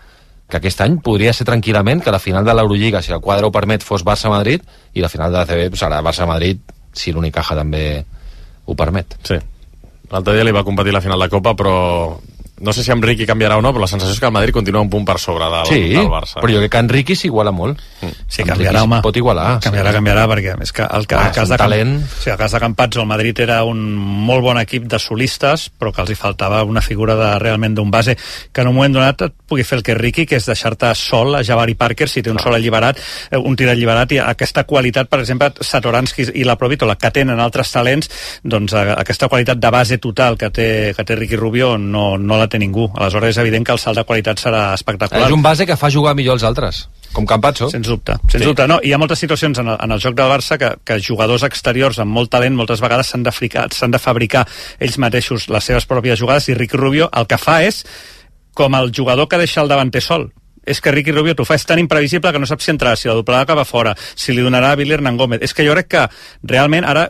que aquest any podria ser tranquil·lament que la final de l'Eurolliga, si el quadre ho permet, fos Barça-Madrid, i la final de la CB serà Barça-Madrid, si l'Unicaja també ho permet. Sí. L'altre dia li va competir la final de Copa, però no sé si amb Riqui canviarà o no, però la sensació és que el Madrid continua un punt per sobre del Barça. Però jo crec que en Riqui s'iguala molt. Sí, canviarà, home. Pot igualar. Canviarà, perquè és que el cas de talent. Sí, el cas de Campazzo, el Madrid era un molt bon equip de solistes, però que els hi faltava una figura realment d'un base que en un moment donat et pugui fer el que és Riqui, que és deixar-te sol a Jabari Parker si té un sol alliberat, un tir alliberat, i aquesta qualitat, per exemple, Satoransky i la Provitola, que tenen altres talents, doncs aquesta qualitat de base total que té Ricky Rubio no la té ningú. Aleshores és evident que el salt de qualitat serà espectacular. És un base que fa jugar millor els altres, com Campazzo. Sens dubte. No, hi ha moltes situacions en el joc del Barça que jugadors exteriors amb molt talent moltes vegades s'han de fabricar ells mateixos les seves pròpies jugades, i Ricky Rubio el que fa és com el jugador que deixa el davanter sol. És que Ricky Rubio t'ho fa, és tan imprevisible que no saps si entrarà, si la doblarà cap a fora, si li donarà a Billy Hernán Gómez. És que jo crec que realment ara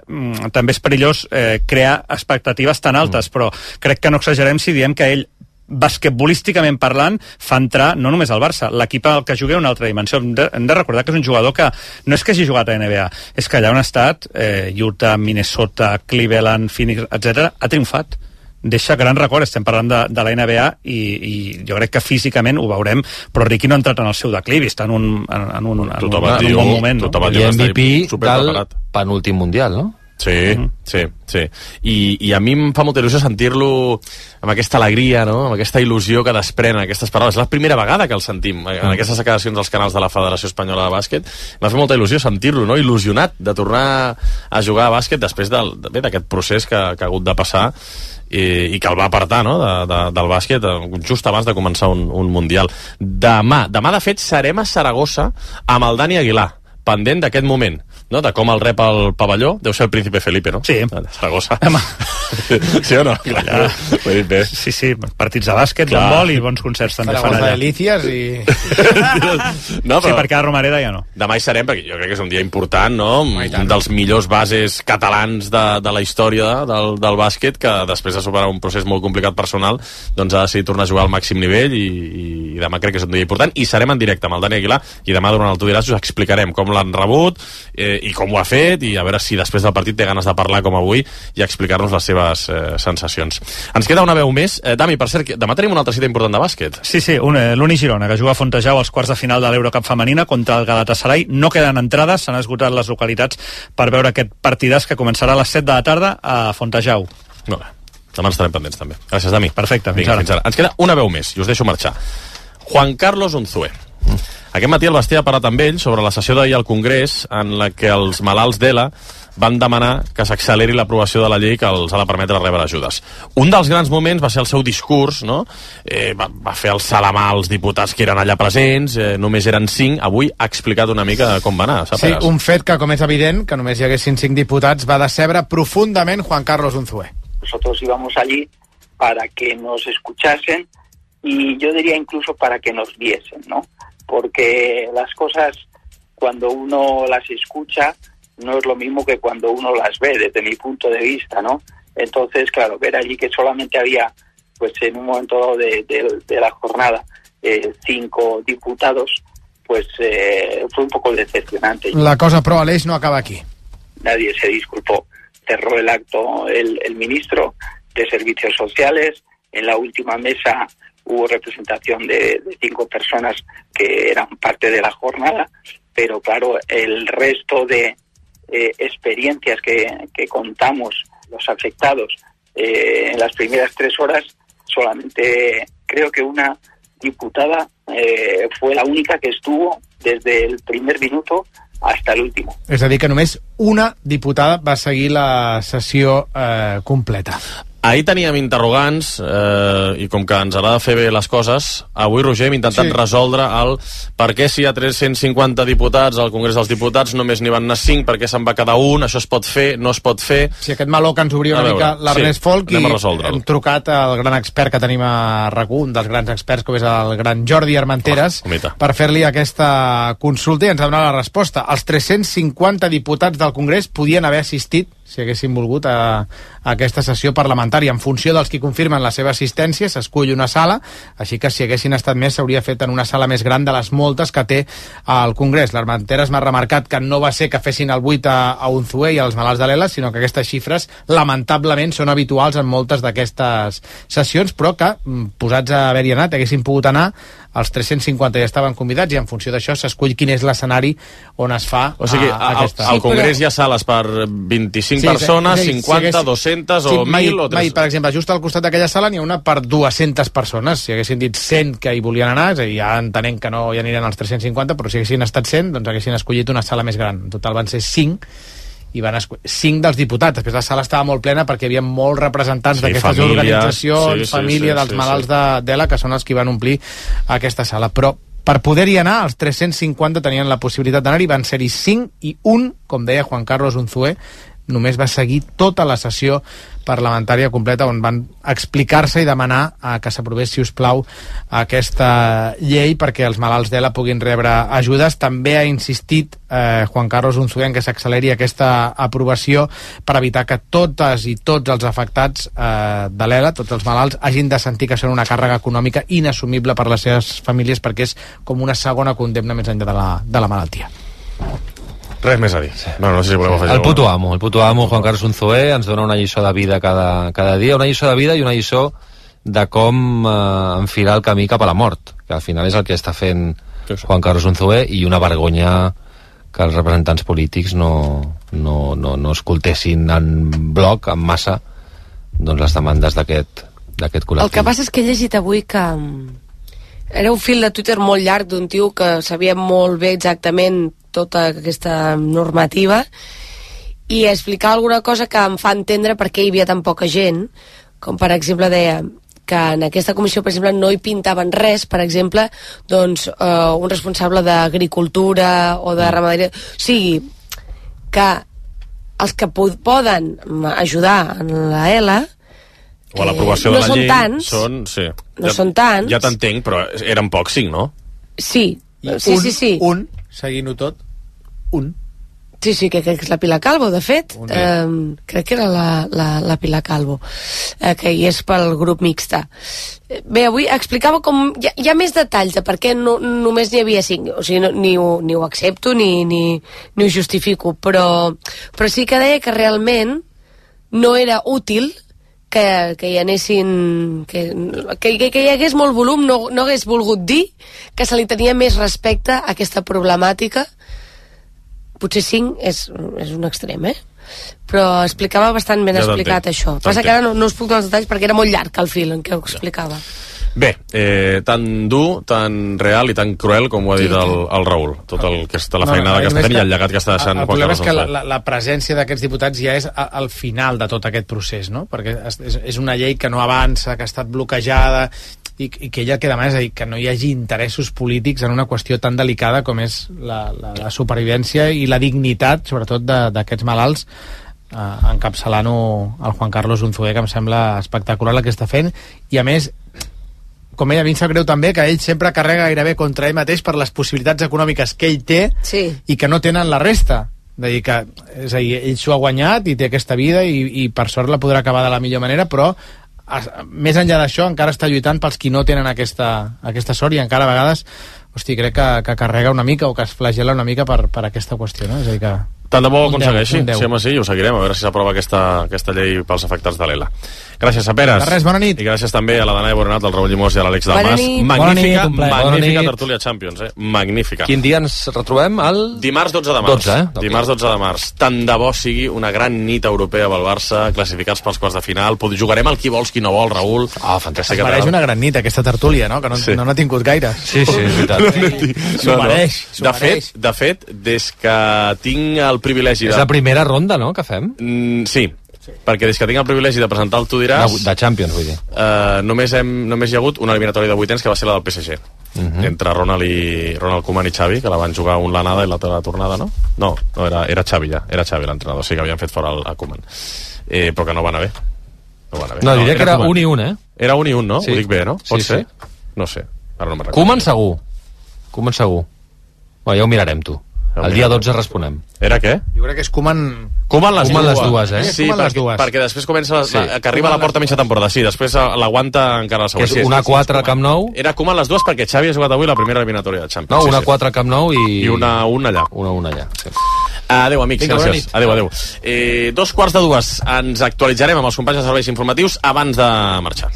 també és perillós crear expectatives tan altes, però crec que no exagerem si diem que ell, basquetbolísticament parlant, fa entrar no només al Barça, l'equip al que jugué una altra dimensió. Hem de recordar que és un jugador que no és que hagi jugat a NBA, és que allà on ha estat, Utah, Minnesota, Cleveland, Phoenix, etc., ha triomfat. Deixa gran record, estem parlant de la NBA, i jo crec que físicament ho veurem, però Ricky no ha entrat en el seu declivi, està en un bon moment. I MVP del penúltim mundial, no? Sí. I a mi em fa molta il·lusió sentir-lo amb aquesta alegria, no? Amb aquesta il·lusió que desprenen aquestes paraules. És la primera vegada que el sentim en aquestes declaracions als canals de la Federació Espanyola de Bàsquet. M'ha fet molta il·lusió sentir-lo, no? Il·lusionat de tornar a jugar a bàsquet després d'aquest procés que ha hagut de passar i que el va apartar, no? del bàsquet just abans de començar un Mundial. Demà, de fet, serem a Saragossa amb el Dani Aguilar, pendent d'aquest moment, no? De com el rep al pavelló. Deu ser el Príncipe Felipe, no? Sí. Saragossa. Sí o no? Clar. Sí, partits de bàsquet, d'handbol i bons concerts també fan allà. Delícies i... No, però... Sí, perquè a Romareda ja no. Demà hi serem, perquè jo crec que és un dia important, no? Un dels millors bases catalans de la història del bàsquet, que després de superar un procés molt complicat personal, doncs ha decidit tornar a jugar al màxim nivell, i demà crec que és un dia important, i serem en directe amb el Dani Aguilar, i demà durant el Tu diràs us explicarem com l'han rebut, i com ho ha fet, i a veure si després del partit té ganes de parlar com avui i explicar-nos les seves sensacions. Ens queda una veu més. Dami, per cert, demà tenim una altra cita important de bàsquet. Sí, l'Uni Girona, que juga a Fontejau als quarts de final de l'Eurocup femenina contra el Galatasaray. No queden entrades, s'han esgotat les localitats per veure aquest partidàs que començarà a les 7 de la tarda a Fontejau. Molt bé. Demà estarem pendents, també. Gràcies, Dami. Perfecte, fins ara. Ens queda una veu més, i us deixo marxar. Juan Carlos Unzué. Aquest matí el Basté ha parlat amb ell sobre la sessió d'ahir al Congrés, en la que els malalts d'ELA van demanar que s'acceleri l'aprovació de la llei que els ha de permetre rebre ajudes. Un dels grans moments va ser el seu discurs, no? Va fer el salamà als diputats que eren allà presents, només eren 5, avui ha explicat una mica com va anar. Sí, un fet que, com és evident, que només hi haguessin 5 diputats, va decebre profundament Juan Carlos Unzué. Nosotros íbamos allí para que nos escuchasen y yo diría incluso para que nos viesen, ¿no? Porque las cosas, cuando uno las escucha, no es lo mismo que cuando uno las ve, desde mi punto de vista, ¿no? Entonces, claro, ver allí que solamente había, pues en un momento de la jornada, 5 diputados, pues fue un poco decepcionante. La cosa pro Aleix no acaba aquí. Nadie se disculpó. Cerró el acto el ministro de Servicios Sociales. En la última mesa hubo representación de 5 personas que eran parte de la jornada, pero claro, el resto de experiencias que contamos los afectados en las primeras 3 horas, solamente creo que una diputada fue la única que estuvo desde el primer minuto hasta el último. És a dir, que només una diputada va seguir la sessió completa. Ahir teníem interrogants i com que ens agrada fer bé les coses, avui, Roger, hem intentat resoldre el per què si hi ha 350 diputats al Congrés dels Diputats només n'hi van anar 5, per què se'n va quedar un, això es pot fer, no es pot fer... Si aquest meló que ens obria una mica l'Ernest Folk, i hem trucat al gran expert que tenim a RAC1, un dels grans experts com és el gran Jordi Armenteres, per fer-li aquesta consulta i ens ha donat la resposta. Els 350 diputats del Congrés podien haver assistit, si haguessin volgut, a aquesta sessió parlamentària. En funció dels que confirmen la seva assistència, s'escull una sala, així que si haguessin estat més s'hauria fet en una sala més gran de les moltes que té al Congrés. L'Armenteres m'ha remarcat que no va ser que fessin el 8 a Unzué i als malalts de l'ELA, sinó que aquestes xifres, lamentablement, són habituals en moltes d'aquestes sessions, però que, posats a haver-hi anat, haguessin pogut anar, els 350 ja estaven convidats i en funció d'això s'escull quin és l'escenari on es fa aquesta. Al Congrés hi ha sales per 25 persones, 50, 200 o 1.000 o 300. Per exemple, just al costat d'aquella sala n'hi ha una per 200 persones. Si haguessin dit 100 que hi volien anar, és a dir, ja entenent que no hi aniran els 350, però si haguessin estat 100, doncs haguessin escollit una sala més gran. En total van ser 5, i van 5 dels diputats. Després la sala estava molt plena perquè hi havia molts representants d'aquestes organitzacions, família dels malalts d'ELA, que són els que van omplir aquesta sala. Però per poder-hi anar, els 350 tenien la possibilitat d'anar-hi, van ser-hi 5, i un, com deia Juan Carlos Unzué, només va seguir tota la sessió parlamentària completa on van explicar-se i demanar que s'aprovés, si us plau, aquesta llei perquè els malalts d'ELA puguin rebre ajudes. També ha insistit Juan Carlos Unzué en que s'acceleri aquesta aprovació per evitar que totes i tots els afectats de l'ELA, tots els malalts, hagin de sentir que són una càrrega econòmica inassumible per les seves famílies, perquè és com una segona condemna més enllà de la malaltia. Res més a dir. No sé si voleu afegir. El puto amo, Juan Carlos Unzué, ens dona una lliçó de vida cada dia, una lliçó de vida i una lliçó de com enfilar el camí cap a la mort, que al final és el que està fent Juan Carlos Unzué, i una vergonya que els representants polítics no escoltessin en bloc, en massa, doncs les demandes d'aquest col·lectiu. El que passa és que he llegit avui que era un fil de Twitter molt llarg d'un tio que sabia molt bé exactament tota aquesta normativa i explicar alguna cosa que em fa entendre per què hi havia tan poca gent, com per exemple deia que en aquesta comissió, per exemple, no hi pintaven res, per exemple, doncs un responsable d'agricultura o de ramaderia, o sigui que els que poden ajudar en la ELA o a l'aprovació de la llei tants, no són tants. Ja t'entenc, però eren pocs, 5, no? Sí. Un, seguint-ho tot, un. Sí, que crec que és la Pilar Calvo, de fet. Crec que era la Pilar Calvo, que hi és pel grup mixta. Bé, avui explicava com... Hi ha més detalls de per què només n'hi havia 5. O sigui, ni ho accepto ni ho justifico, però sí que deia que realment no era útil que hi anessin... que hi hagués molt volum, no hagués volgut dir que se li tenia més respecte a aquesta problemàtica. Potser 5 és un extrem, però explicava bastant ben explicat això. Passa que ara no us puc donar els detalls perquè era molt llarg el fil en què ho explicava. Bé, tan dur, tan real i tan cruel com ho ha dit el Raül. Tot el que està la feinada que està fent i el llegat que està deixant. El problema és que la presència d'aquests diputats ja és al final de tot aquest procés, no? Perquè és una llei que no avança, que ha estat bloquejada i que ella queda més, és a dir, que no hi hagi interessos polítics en una qüestió tan delicada com és la supervivència i la dignitat, sobretot d'aquests malalts, encapçalant-ho el Juan Carlos Unzué, que em sembla espectacular el que està fent, i a més, com ell, a mi em sap greu també que ell sempre carrega gairebé contra ell mateix per les possibilitats econòmiques que ell té i que no tenen la resta. És a dir, ell s'ho ha guanyat i té aquesta vida i per sort la podrà acabar de la millor manera, però més enllà d'això, encara està lluitant pels qui no tenen aquesta sort, i encara a vegades, hosti, crec que carrega una mica o que es flagela una mica per aquesta qüestió, no? És a dir que... Tant de bo ho aconsegueixi, sí, home, sí, ho seguirem, a veure si s'aprova aquesta llei pels afectats de l'ELA. Gràcies a Peres. De res, bona nit. I gràcies també a la Danae Boronat, al Raül Llimós i a l'Àlex Dalmas. Magnífica tertúlia Champions, magnífica. Quin dia ens retrobem? Dimarts 12 de març. Dimarts 12 de març. Tant de bo sigui una gran nit europea pel Barça, classificats pels quarts de final. Jugarem al qui vols, qui no vol, Raül. Fantàstic. Es mereix una gran nit, aquesta tertúlia, no? Que no n'ha tingut gaire. Sí, és veritat. S'ho mereix. De fet, des que tinc el privilegi És la primera ronda, no?, que fem? Sí, perquè des que tinc el privilegi de presentar el Tu diràs... De Champions, vull dir. Només hi ha hagut una eliminatòria de vuitens, que va ser la del PSG. Entre Ronald Koeman i Xavi, que la van jugar un l'anada i l'altra la tornada, no? No, era Xavi ja. Era Xavi l'entrenador, sí que havien fet fora a Koeman. Però que no va anar bé. No, diria que era 1 i 1, eh? Era 1 i 1, no? Sí. Ho dic bé, no? Pot ser? No sé. Ara no me'n recordo. Koeman segur. Bueno, ja ho mirarem, tu. El dia 12 responem. Era què? Jo crec que és Koeman les dues, eh? Sí, perquè després comença que arriba a la porta mitja temporada. Sí, després l'aguanta encara la següent. Que és 1-4 a Camp Nou. Era Koeman les dues perquè Xavi ha jugat avui la primera eliminatòria de Champions. No, 1-4 a Camp Nou i 1-1 allà. 1-1 allà, sí. Adéu, amics, gràcies. Adéu. 2:45. Ens actualitzarem amb els companys de serveis informatius abans de marxar.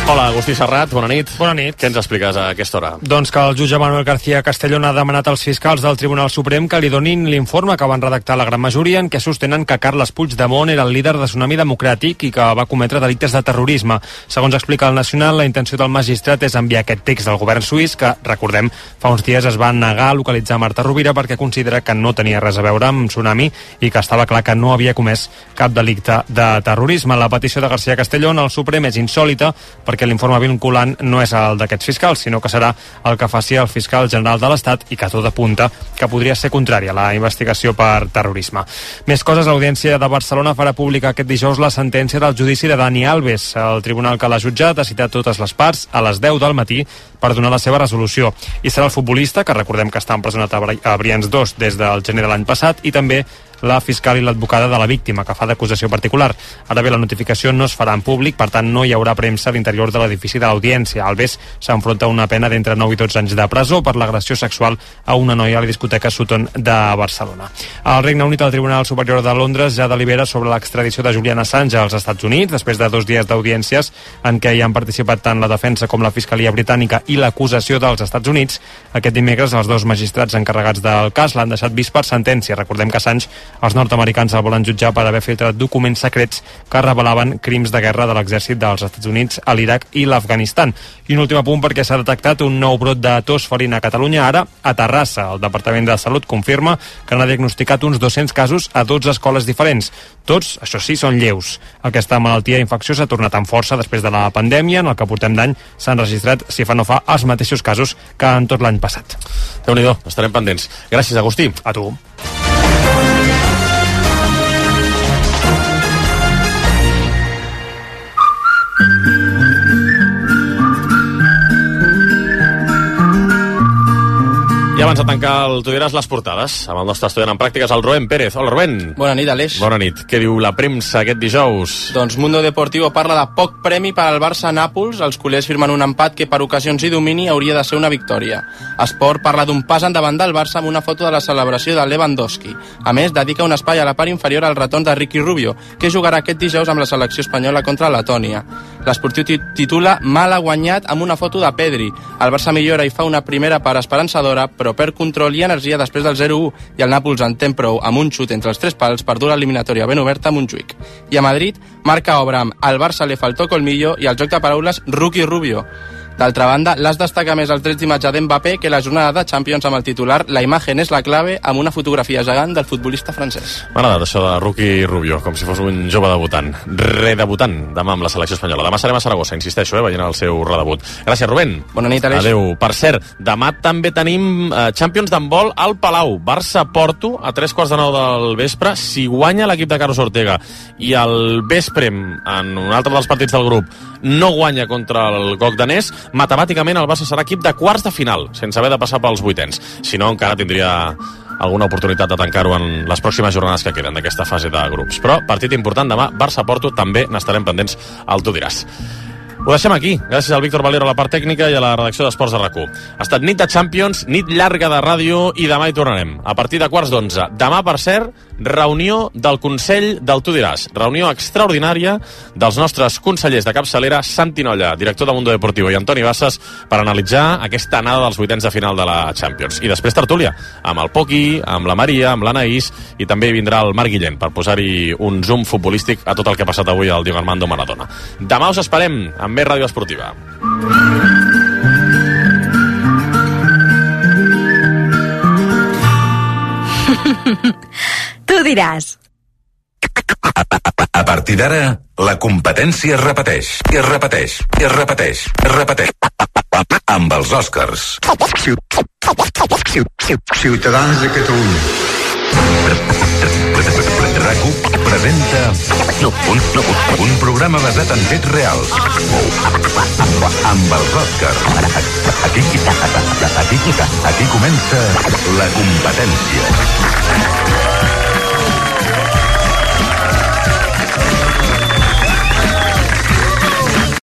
Hola, Agustí Serrat, bona nit. Bona nit. Què ens expliques a aquesta hora? Doncs que el jutge Manuel García Castellón ha demanat als fiscals del Tribunal Suprem que li donin l'informe que van redactar la gran majoria en què sostenen que Carles Puigdemont era el líder de Tsunami Democràtic i que va cometre delictes de terrorisme. Segons explica el Nacional, la intenció del magistrat és enviar aquest text del govern suís que, recordem, fa uns dies es va negar a localitzar Marta Rovira perquè considera que no tenia res a veure amb Tsunami i que estava clar que no havia comès cap delicte de terrorisme. La petició de García Castellón al Suprem és insòlita perquè l'informe vinculant no és el d'aquests fiscals, sinó que serà el que faci el fiscal general de l'Estat i que tot apunta que podria ser contrari a la investigació per terrorisme. Més coses, l'Audiència de Barcelona farà pública aquest dijous la sentència del judici de Dani Alves. El tribunal que l'ha jutjat ha citat totes les parts a les 10 del matí per donar la seva resolució. I serà el futbolista, que recordem que està empresonat a Brians 2 des del gener de l'any passat, i també la fiscal i l'advocada de la víctima, que fa d'acusació particular. Ara bé, la notificació no es farà en públic, per tant no hi haurà premsa a l'interior de l'edifici de l'Audiència. Alves s'enfronta a una pena d'entre 9 i 12 anys de presó per l'agressió sexual a una noia a la discoteca Sutton de Barcelona. Al Regne Unit, el Tribunal Superior de Londres ja delibera sobre l'extradició de Julian Assange als Estats Units, després de 2 dies d'audiències en què hi han participat tant la defensa com la Fiscalia Britànica i l'acusació dels Estats Units. Aquest dimecres, els 2 magistrats encarregats del cas l'han deixat vist per sentència. Recordem que Assange els nord-americans el volen jutjar per haver filtrat documents secrets que revelaven crims de guerra de l'exèrcit dels Estats Units a l'Iraq i l'Afganistan. I un últim apunt perquè s'ha detectat un nou brot de tos felina a Catalunya, ara a Terrassa. El Departament de Salut confirma que n'ha diagnosticat uns 200 casos a 12 escoles diferents. Tots, això sí, són lleus. Aquesta malaltia infecciosa ha tornat amb força després de la pandèmia. En el que portem d'any s'han registrat, si fa no fa, els mateixos casos que en tot l'any passat. Déu-n'hi-do, estarem pendents. Gràcies, Agustí. A tu. I abans de tancar el Tu diràs les portades amb el nostre estudiant en pràctiques, el Rubén Pérez. Hola, Rubén. Bona nit, Aleix. Bona nit. Què diu la premsa aquest dijous? Doncs Mundo Deportivo parla de poc premi per al Barça a Nàpols. Els culers firmen un empat que per ocasions i domini hauria de ser una victòria. Esport parla d'un pas endavant del Barça amb una foto de la celebració de Lewandowski. A més, dedica un espai a la part inferior al retorn de Ricky Rubio, que jugarà aquest dijous amb la selecció espanyola contra Letònia. L'Esportiu titula Mal ha guanyat amb una foto de Pedri. El Barça millora i fa una primera part esperançadora, però perd control i energia després del 0-1 i el Nàpols en té prou amb un xut entre els 3 pals per dur l'eliminatòria ben oberta a Montjuïc. I a Madrid marca obra amb al Barça le faltó colmillo i el joc de paraules Rookie Rubio. D'altra banda, l'AS destaca més els drets d'imatge d'Mbappé que la jornada de Champions amb el titular La imagen és la clave, amb una fotografia gegant del futbolista francès. M'ha agradat això de Rookie Rubio, com si fos un jove debutant. Redebutant demà amb la selecció espanyola. Demà serem a Saragossa, insisteixo, veient el seu redebut. Gràcies, Rubén. Bona nit, Aleix. Adéu. Per cert, demà també tenim Champions d'handbol al Palau. Barça-Porto a 3:15 del vespre. Si guanya l'equip de Carlos Ortega i el vespre, en un altre dels partits del grup, no guanya contra el GOC danès, matemàticament el Barça serà equip de quarts de final, sense haver de passar pels vuitens. Si no, encara tindria alguna oportunitat de tancar-ho en les pròximes jornades que queden d'aquesta fase de grups. Però partit important demà, Barça-Porto, també n'estarem pendents al Tu diràs. Ho deixem aquí, gràcies al Víctor Valero a la part tècnica i a la redacció d'Esports de RAC1. Ha estat nit de Champions, nit llarga de ràdio i demà hi tornarem, a partir de 11:15. Demà, per cert, reunió del Consell del Tu diràs. Reunió extraordinària dels nostres consellers de capçalera, Santi Nolla, director de Mundo Deportivo, i Antoni Bassas, per analitzar aquesta anada dels vuitens de final de la Champions. I després tertúlia, amb el Poqui, amb la Maria, amb l'Anaïs, i també hi vindrà el Marc Guillén per posar-hi un zoom futbolístic a tot el que ha passat avui al Diego Armando Maradona. Demà us esperem amb més ràdio esportiva. Tu diràs. A partir d'ara, la competència es repeteix, i es repeteix, i es repeteix, i es repeteix. Amb els Oscars. Ciutadans de Catalunya. RAC1 presenta un programa basat en fets reals. Amb els Oscars. Aquí comença la competència.